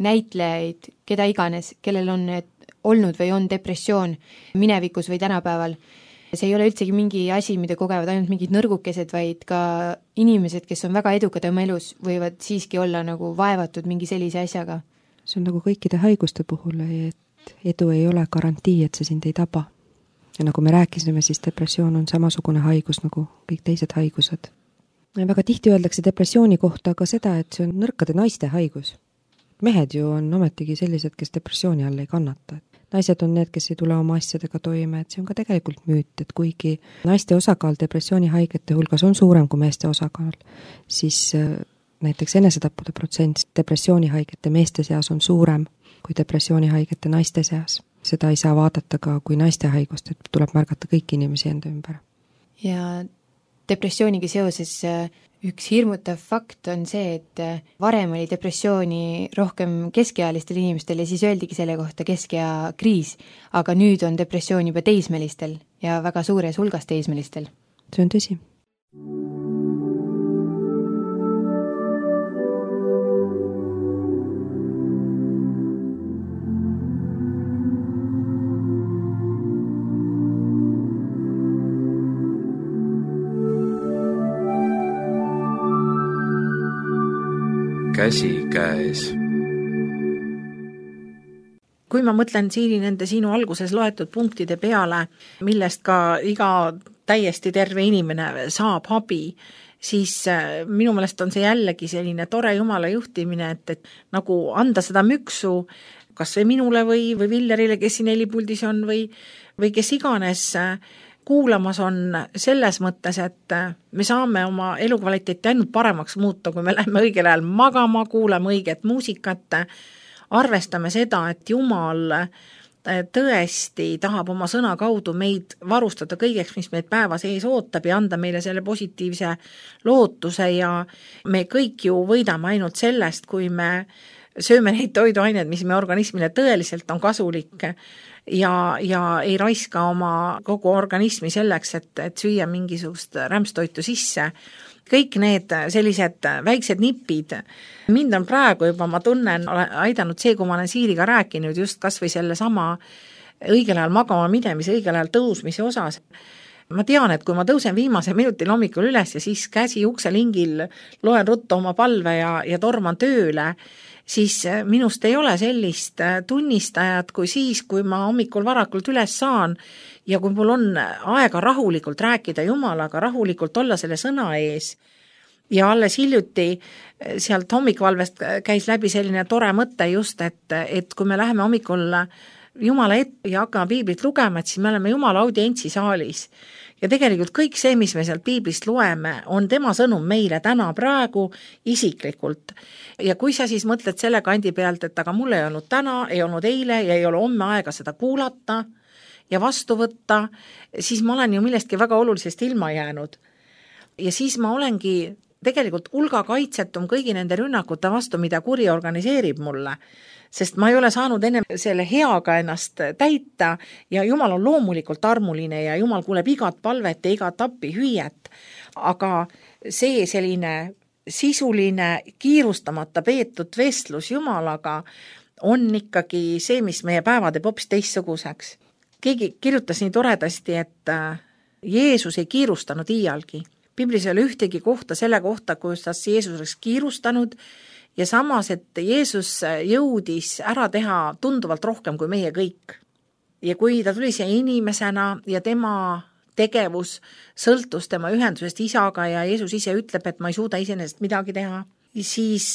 näitlejaid, keda iganes, kellel on olnud või on depressioon minevikus või tänapäeval. See ei ole üldsegi mingi asi, mida kogevad ainult mingid nõrgukesed, vaid ka inimesed, kes on väga edukad oma elus, võivad siiski olla nagu vaevatud mingi sellise asjaga. See on nagu kõikide haiguste puhul, et edu ei ole garantii, et see sind ei taba. Ja nagu me rääkisime, siis depressioon on samasugune haigus nagu kõik teised haigused. Ja väga tihti öeldakse depressiooni kohta ka seda, et see on nõrkade naiste haigus. Mehed ju on ometigi sellised, kes depressiooni all ei kannata. Naised on need, kes ei tule oma asjadega toime, et see on ka tegelikult müüt, et kuigi naiste osakaal depressioonihaigete hulgas on suurem kui meeste osakaal, siis näiteks enesetappude protsent depressioonihaigete meeste seas on suurem kui depressioonihaigete naiste seas. Seda ei saa vaadata ka kui naiste haigust, et tuleb märgata kõiki inimesi enda ümber. Ja depressiooniga seoses üks hirmutav fakt on see, et varem oli depressiooni rohkem keskealistel inimestel ja siis öeldigi selle kohta keskea kriis, aga nüüd on depressioon juba teismelistel ja väga suures hulgas teismelistel. See on tõsi. Käsi käes. Kui ma mõtlen Siiri nende sinu alguses loetud punktide peale, millest ka iga täiesti terve inimene saab abi, siis minu meelest on see jällegi selline tore Jumala juhtimine, et nagu anda seda müksu kas või minule või Villerile, kes siin helipuldis on või kes iganes kuulamas on selles mõttes, et me saame oma elukvaliteeti ainult paremaks muuta, kui me läheme õigel ajal magama, kuulame õiget muusikat, arvestame seda, et Jumal tõesti tahab oma sõna kaudu meid varustada kõigeks, mis meid päevas ees ootab ja anda meile selle positiivse lootuse ja me kõik ju võidame ainult sellest, kui me sööme neid toiduaineid, mis me organismile tõeliselt on kasulik ja ei raiska oma kogu organismi selleks, et süüa mingisugust rämpstoitu sisse. Kõik need sellised väiksed nipid, mind on praegu juba, ma tunnen, aidanud see, kui ma olen Siiriga rääkinud just kas või selle sama õigel ajal magama minemise, õigel ajal tõusmise osas. Ma tean, et kui ma tõusen viimase minutil hommikul üles ja siis käsi ukselingil loen ruttu oma palve ja torman tööle, siis minust ei ole sellist tunnistajat kui siis, kui ma hommikul varakult üles saan ja kui mul on aega rahulikult rääkida Jumalaga, rahulikult olla selle sõna ees. Ja alles hiljuti sealt hommikvalvest käis läbi selline tore mõte just, et kui me läheme hommikul Jumala ette ja hakkame piiblit lugema, et siis me oleme Jumala audientsi saalis. Ja tegelikult kõik see, mis me sealt piiblist loeme, on tema sõnum meile täna praegu isiklikult. Ja kui sa siis mõtled selle kandi pealt, et aga mul ei olnud täna, ei olnud eile ja ei ole homme aega seda kuulata ja vastu võtta, siis ma olen ju millestki väga olulisest ilma jäänud. Ja siis ma olengi tegelikult hulga kaitsetum kõigi nende rünnakute vastu, mida kuri organiseerib mulle. Sest ma ei ole saanud enne selle heaga ennast täita ja Jumal on loomulikult armuline ja Jumal kuuleb igat palvet ja igat appi hüüet. Aga see selline sisuline, kiirustamata peetud vestlus Jumalaga on ikkagi see, mis meie päeva teeb hoopis teistsuguseks. Keegi kirjutas nii toredasti, et Jeesus ei kiirustanud iialgi. Biblis ei ole ühtegi kohta selle kohta, kuidas Jeesus oleks kiirustanud ja samas, et Jeesus jõudis ära teha tunduvalt rohkem kui meie kõik. Ja kui ta tuli siia inimesena ja tema tegevus sõltus tema ühendusest isaga ja Jeesus ise ütleb, et ma ei suuda iseenesest midagi teha, siis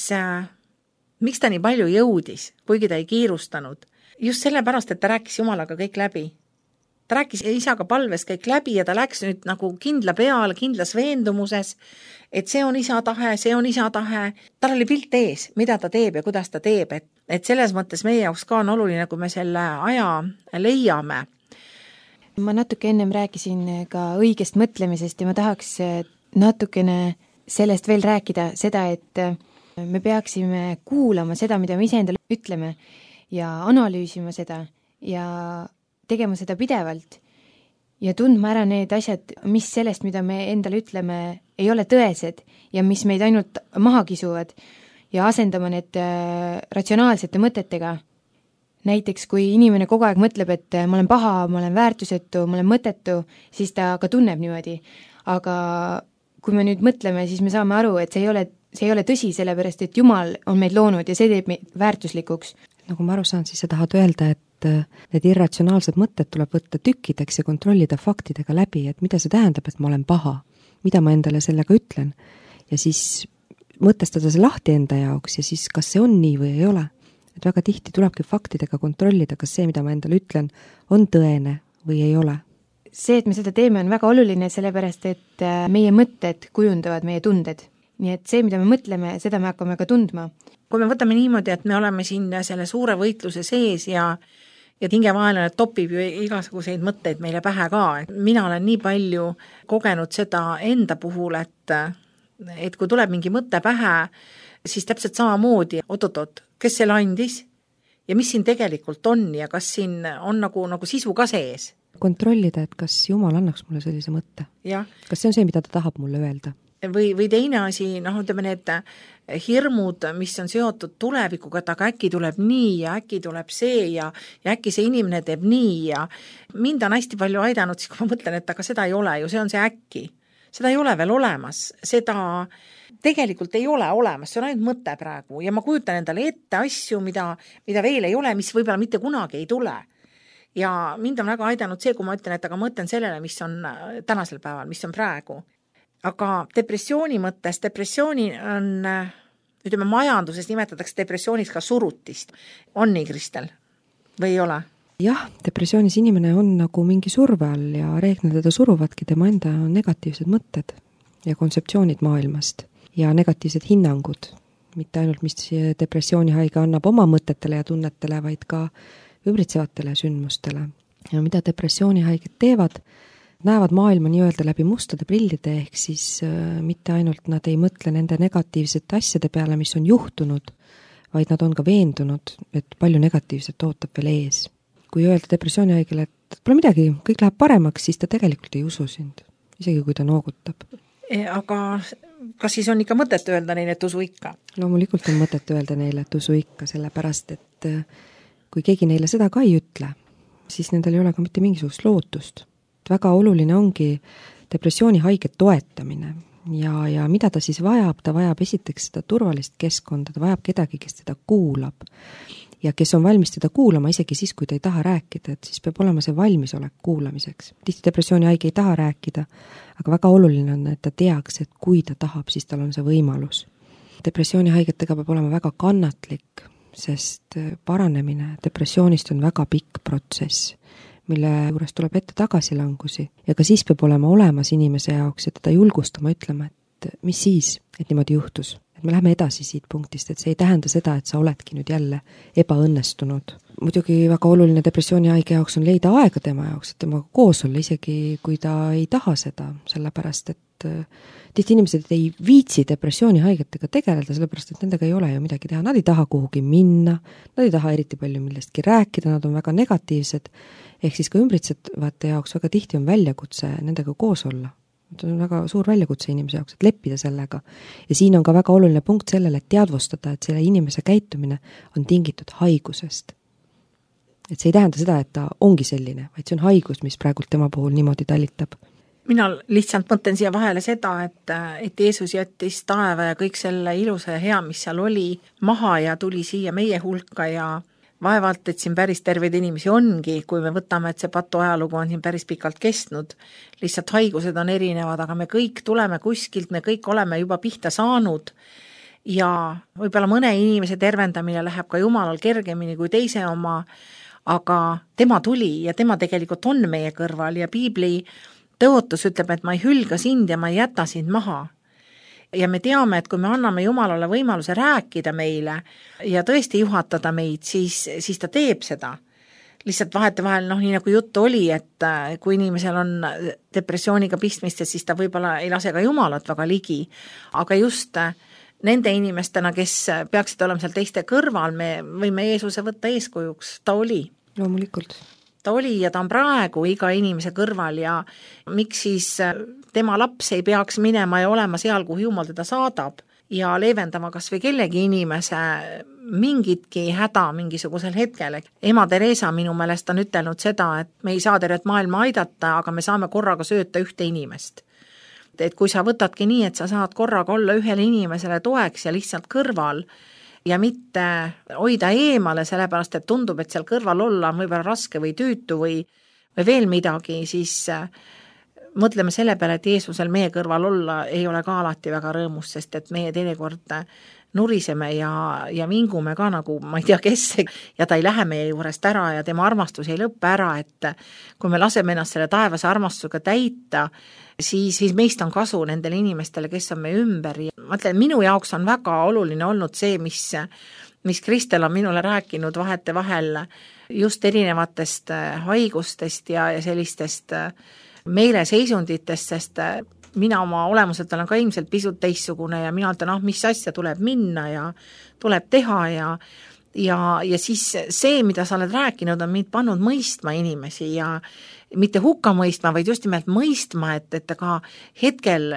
miks ta nii palju jõudis, kuigi ta ei kiirustanud? just sellepärast, et ta rääkis Jumalaga kõik läbi. Ta rääkis isaga palves kõik läbi ja ta läks nüüd nagu kindla peale, kindlas veendumuses, et see on isa tahe, see on isa tahe. Tal oli pilt ees, mida ta teeb ja kuidas ta teeb, et selles mõttes meie jaoks ka on oluline, kui me selle aja leiame. Ma natuke ennem rääkisin ka õigest mõtlemisest ja ma tahaks natukene sellest veel rääkida, seda, et me peaksime kuulama seda, mida me ise endale ütleme ja analüüsima seda ja tegema seda pidevalt ja tundma ära need asjad, mis sellest, mida me endale ütleme, ei ole tõesed ja mis meid ainult maha kisuvad ja asendama need ratsionaalsete mõtetega. Näiteks, kui inimene kogu aeg mõtleb, et ma olen paha, ma olen väärtusetu, ma olen mõttetu, siis ta ka tunneb niimoodi. Aga kui me nüüd mõtleme, siis me saame aru, et see ei ole tõsi, sellepärast et Jumal on meid loonud ja see teeb meid väärtuslikuks. Nagu ma aru saan, siis sa tahad öelda, et need irratsionaalsed mõtted tuleb võtta tükkideks ja kontrollida faktidega läbi, et mida see tähendab, et ma olen paha, mida ma endale sellega ütlen ja siis mõtestada see lahti enda jaoks ja siis kas see on nii või ei ole. Et väga tihti tulebki faktidega kontrollida, kas see, mida ma endale ütlen, on tõene või ei ole. See, et me seda teeme, on väga oluline, sellepärast et meie mõtted kujundavad meie tunded. Nii et see, mida me mõtleme, seda me hakkame ka tundma. Kui me võtame niimoodi, et me oleme siin selle suure võitluse sees ja tingevaenlane topib ju igasuguseid mõtteid meile pähe ka. Mina olen nii palju kogenud seda enda puhul, et kui tuleb mingi mõte pähe, siis täpselt samamoodi, oot, kes selle andis ja mis siin tegelikult on ja kas siin on nagu sisu ka sees. Kontrollida, et kas Jumal annaks mulle sellise mõtte. Ja. Kas see on see, mida ta tahab mulle öelda? Või teine asi, ütleme need hirmud, mis on seotud tulevikuga, et aga äkki tuleb nii ja äkki tuleb see ja äkki see inimene teeb nii ja mind on hästi palju aidanud, siis kui ma mõtlen, et aga seda ei ole ju, see on see äkki. Seda ei ole veel olemas, seda tegelikult ei ole olemas, see on ainult mõte praegu ja ma kujutan endale ette asju, mida veel ei ole, mis võib-olla mitte kunagi ei tule. Ja mind on väga aidanud see, kui ma ütlen, et aga mõtlen sellele, mis on tänasel päeval, mis on praegu. Aga depressiooni mõttes, depressiooni on, ütleme majanduses nimetatakse depressiooniks ka surutist. On nii, Kristel? Või ei ole? Jah, depressioonis inimene on nagu mingi surve all ja reeglina teda suruvadki tema enda negatiivsed mõtted ja kontseptsioonid maailmast ja negatiivsed hinnangud. Mitte ainult, mis depressioonihaige annab oma mõtetele ja tunnetele, vaid ka ümbritsevatele sündmustele. Ja mida depressioonihaiged teevad, näevad maailma nii-öelda läbi mustade prillide, ehk siis mitte ainult nad ei mõtle nende negatiivsete asjade peale, mis on juhtunud, vaid nad on ka veendunud, et palju negatiivset ootab veel ees. Kui öelda depressioonihaigele, et pole midagi, kõik läheb paremaks, siis ta tegelikult ei usu sind, isegi kui ta noogutab. Aga kas siis on ikka mõtet öelda neile, et usu ikka? Loomulikult on mõtet öelda neile, et usu ikka, sellepärast, et kui keegi neile seda ka ei ütle, siis nendel ei ole ka mitte mingisugust lootust. Väga oluline ongi depressioonihaige toetamine ja mida ta siis vajab, ta vajab esiteks seda turvalist keskkonda, ta vajab kedagi, kes teda kuulab ja kes on valmis teda kuulama isegi siis, kui ta ei taha rääkida, et siis peab olema see valmisolek kuulamiseks. Tihti depressioonihaige ei taha rääkida, aga väga oluline on, et ta teaks, et kui ta tahab, siis tal on see võimalus. Depressioonihaigetega peab olema väga kannatlik, sest paranemine depressioonist on väga pikk protsess, mille juures tuleb ette tagasilangusi ja ka siis peab olema olemas inimese jaoks ja teda julgustama ütlema, et mis siis, et niimoodi juhtus. Et me läheme edasi siit punktist, et see ei tähenda seda, et sa oledki nüüd jälle ebaõnnestunud. Muidugi väga oluline depressioonihaige jaoks on leida aega tema jaoks, et temaga koos olla, isegi kui ta ei taha seda, sellepärast et tihti inimesed ei viitsi depressioonihaigetega tegeleda, sellepärast et nendega ei ole ju midagi teha. Nad ei taha kuhugi minna, nad ei taha eriti palju millestki rääkida, nad on väga negatiivsed, ehk siis ka ümbritsevate jaoks väga tihti on väljakutse nendega koos olla. See on väga suur väljakutse inimese jaoks, et leppida sellega. Ja siin on ka väga oluline punkt sellele, et teadvustada, et selle inimese käitumine on tingitud haigusest. Et see ei tähenda seda, et ta ongi selline, vaid see on haigus, mis praegult tema puhul niimoodi talitab. Mina lihtsalt mõtlen siia vahele seda, et Jeesus jättis taeva ja kõik selle ilusa ja hea, mis seal oli, maha ja tuli siia meie hulka ja vaevalt, et siin päris terveid inimesi ongi, kui me võtame, et see patu ajalugu on siin päris pikalt kestnud. Lihtsalt haigused on erinevad, aga me kõik tuleme kuskilt, me kõik oleme juba pihta saanud ja võib-olla mõne inimese tervendamine läheb ka Jumalal kergemini kui teise oma, aga tema tuli ja tema tegelikult on meie kõrval ja piibli tõotus ütleb, et ma ei hülga sind ja ma ei jäta sind maha. Ja me teame, et kui me anname Jumalale võimaluse rääkida meile ja tõesti juhatada meid, siis ta teeb seda. Lihtsalt vahetevahel, nii nagu juttu oli, et kui inimesel on depressiooniga pistmist, siis ta võib-olla ei lase ka Jumalat väga ligi, aga just nende inimestena, kes peaksid olema seal teiste kõrval, me võime Jeesuse võtta eeskujuks, ta oli. Loomulikult. Ta oli ja ta on praegu iga inimese kõrval ja miks siis tema laps ei peaks minema ja olema seal, kuhu Jumal teda saadab ja leevendama kas või kellegi inimese mingitki häda mingisugusel hetkel. Ema Teresa minu meelest on ütelnud seda, et me ei saa tervet maailma aidata, aga me saame korraga sööta ühte inimest. Et kui sa võtadki nii, et sa saad korraga olla ühele inimesele toeks ja lihtsalt kõrval ja mitte hoida eemale, sellepärast et tundub, et seal kõrval olla on võib-olla raske või tüütu või veel midagi, siis mõtleme selle peale, et Jeesusel meie kõrval olla ei ole ka alati väga rõõmus, sest et meie teinekord nuriseme ja vingume ka nagu ma ei tea kes ja ta ei lähe meie juurest ära ja tema armastus ei lõppe ära, et kui me laseme ennast selle taevase armastusega täita, siis meist on kasu nendele inimestele, kes on meie ümber. Ma ütlen, minu jaoks on väga oluline olnud see, mis Kristel on minule rääkinud vahetevahel just erinevatest haigustest ja sellistest meeleseisunditest, sest mina oma olemuselt olen ka ilmselt pisut teissugune ja mina ütlen, mis asja tuleb minna ja tuleb teha ja siis see, mida sa oled rääkinud, on mind pannud mõistma inimesi ja mitte hukka mõistma, vaid just nimelt mõistma, et ka hetkel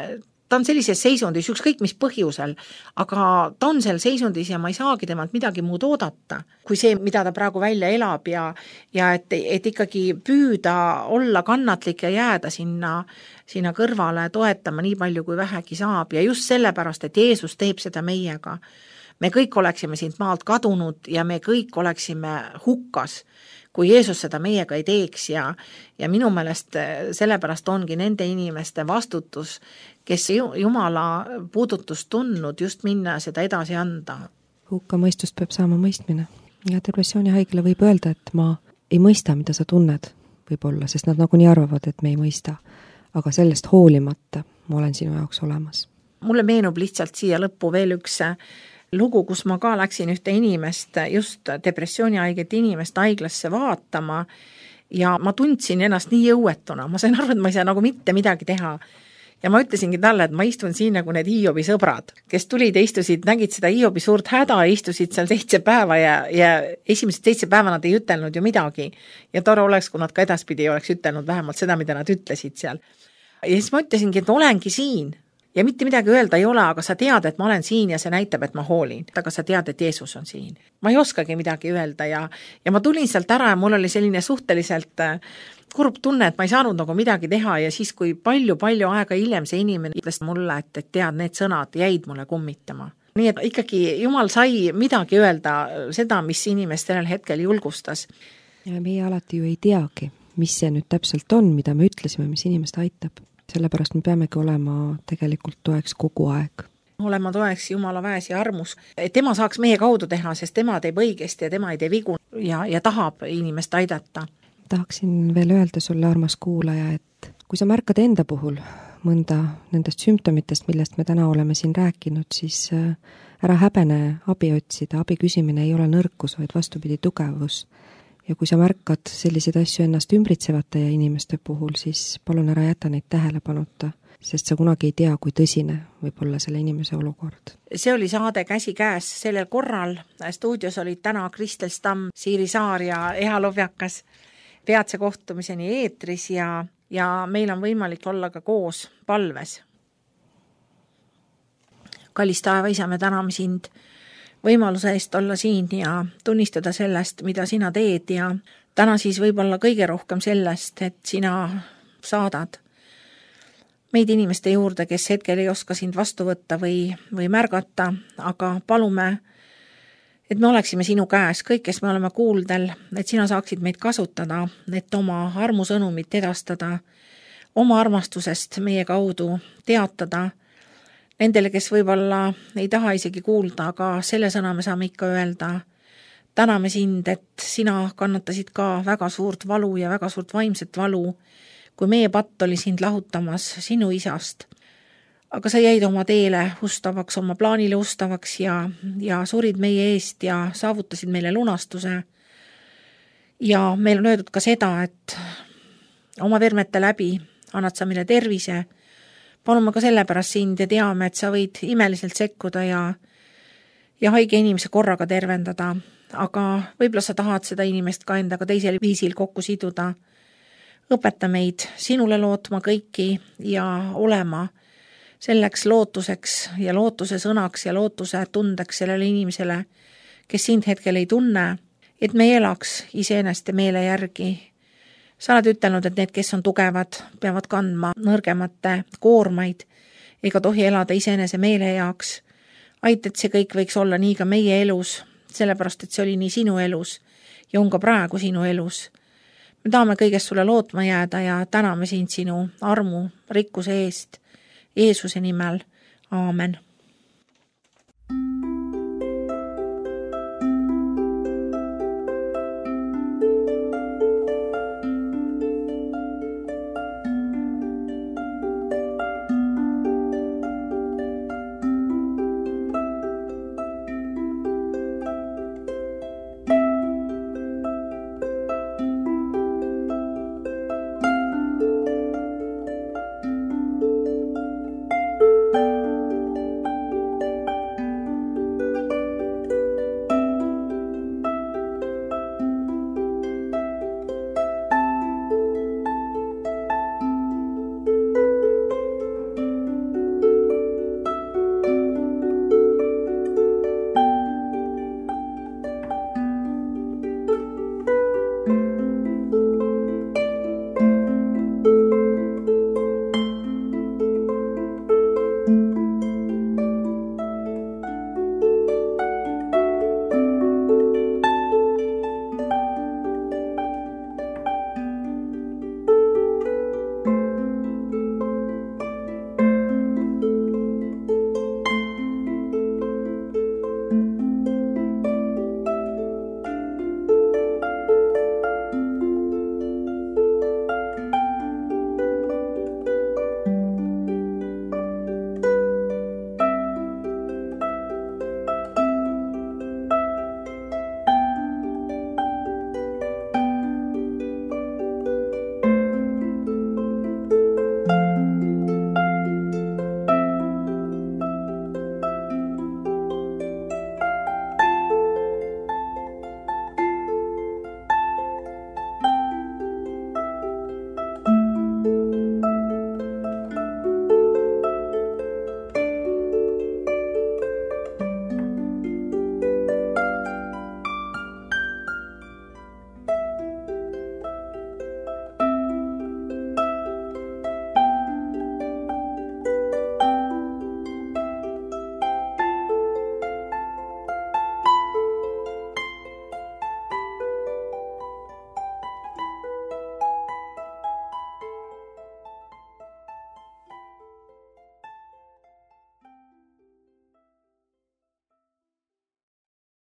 ta on sellises seisundis, ükskõik mis põhjusel, aga ta on seal seisundis ja ma ei saagi temalt midagi muud oodata, kui see, mida ta praegu välja elab ja et ikkagi püüda olla kannatlik ja jääda sinna kõrvale toetama nii palju, kui vähegi saab ja just sellepärast, et Jeesus teeb seda meiega. Me kõik oleksime siit maalt kadunud ja me kõik oleksime hukkas, kui Jeesus seda meiega ei teeks ja minu meelest sellepärast ongi nende inimeste vastutus, kes Jumala puudutust tundnud, just minna seda edasi anda. Hukkamõistust peab saama mõistmine ja depressioonihaigele võib öelda, et ma ei mõista, mida sa tunned võib-olla, sest nad nagunii arvavad, et me ei mõista, aga sellest hoolimata ma olen sinu jaoks olemas. Mulle meenub lihtsalt siia lõppu veel üks lugu, kus ma ka läksin ühte inimest, just depressioonihaiget inimest haiglasse vaatama ja ma tundsin ennast nii jõuetuna, ma sain aru, et ma ei saa nagu mitte midagi teha. Ja ma ütlesingi talle, et ma istun siin nagu need Hiobi sõbrad, kes tulid ja istusid, nägid seda Hiobi suurt häda, istusid seal 7 päeva ja esimesed 7 päeva nad ei ütelnud ju midagi. Ja tore oleks, kui nad ka edaspidi oleks ütelnud vähemalt seda, mida nad ütlesid seal. Ja siis ma ütlesingi, et olengi siin. Ja mitte midagi öelda ei ole, aga sa tead, et ma olen siin ja see näitab, et ma hoolin. Aga sa tead, et Jeesus on siin. Ma ei oskagi midagi öelda ja ma tulin sealt ära ja mul oli selline suhteliselt kurb tunne, et ma ei saanud nagu midagi teha ja siis, kui palju aega hiljem see inimene ütles mulle, et tead, need sõnad jäid mulle kummitama. Nii et ikkagi Jumal sai midagi öelda seda, mis inimest sellel hetkel julgustas. Ja meie alati ju ei teagi, mis see nüüd täpselt on, mida me ütlesime, mis inimest aitab. Sellepärast me peamegi olema tegelikult toeks kogu aeg. Olema toeks Jumala väes ja armus. Tema saaks meie kaudu teha, sest tema teeb õigesti ja tema ei tee vigu ja tahab inimest aidata. Tahaksin veel öelda sulle, armas kuulaja, et kui sa märkad enda puhul mõnda nendest sümptomitest, millest me täna oleme siin rääkinud, siis ära häbene abi otsida. Abi küsimine ei ole nõrkus, vaid vastupidi tugevus. Ja kui sa märkad selliseid asju ennast ümbritsevate inimeste puhul, siis palun ära jäta neid tähelepanuta, sest sa kunagi ei tea, kui tõsine võib olla selle inimese olukord. See oli saade Käsi käes sellel korral. Stuudios olid täna Kristel Stamm, Siiri Saar ja Eha Lovjakas. Peatse kohtumiseni eetris ja meil on võimalik olla ka koos palves. Kallis taeva isa, me täname sind võimaluse eest olla siin ja tunnistada sellest, mida sina teed ja täna siis võib-olla kõige rohkem sellest, et sina saadad meid inimeste juurde, kes hetkel ei oska sind vastu võtta või märgata, aga palume, et me oleksime sinu käes, kõik, kes me oleme kuuldel, et sina saaksid meid kasutada, et oma armusõnumit edastada, oma armastusest meie kaudu teatada, nendele, kes võib-olla ei taha isegi kuulda, aga selle sõna me saame ikka öelda. täname sind, et sina kannatasid ka väga suurt valu ja väga suurt vaimset valu, kui meie patt oli sind lahutamas sinu isast. Aga sa jäid oma teele ustavaks, oma plaanile ustavaks ja surid meie eest ja saavutasid meile lunastuse. Ja meil on öeldud ka seda, et oma vermete läbi annad sa meile tervise. Palume ka sellepärast sind ja teame, et sa võid imeliselt sekkuda ja haige inimese korraga tervendada. Aga võib-olla sa tahad seda inimest ka endaga teisel viisil kokku siduda. Õpeta meid sinule lootma kõiki ja olema selleks lootuseks ja lootuse sõnaks ja lootuse tundeks sellele inimesele, kes sind hetkel ei tunne, et me elaks iseeneste meele järgi. Sa oled ütelnud, et need, kes on tugevad, peavad kandma nõrgemate koormaid ega tohi elada iseenese meele jaoks. Aita, et see kõik võiks olla nii ka meie elus, sellepärast, et see oli nii sinu elus ja on ka praegu sinu elus. Me tahame kõigest sulle lootma jääda ja täname sind sinu armu, rikkuse eest, Jeesuse nimel. Aamen.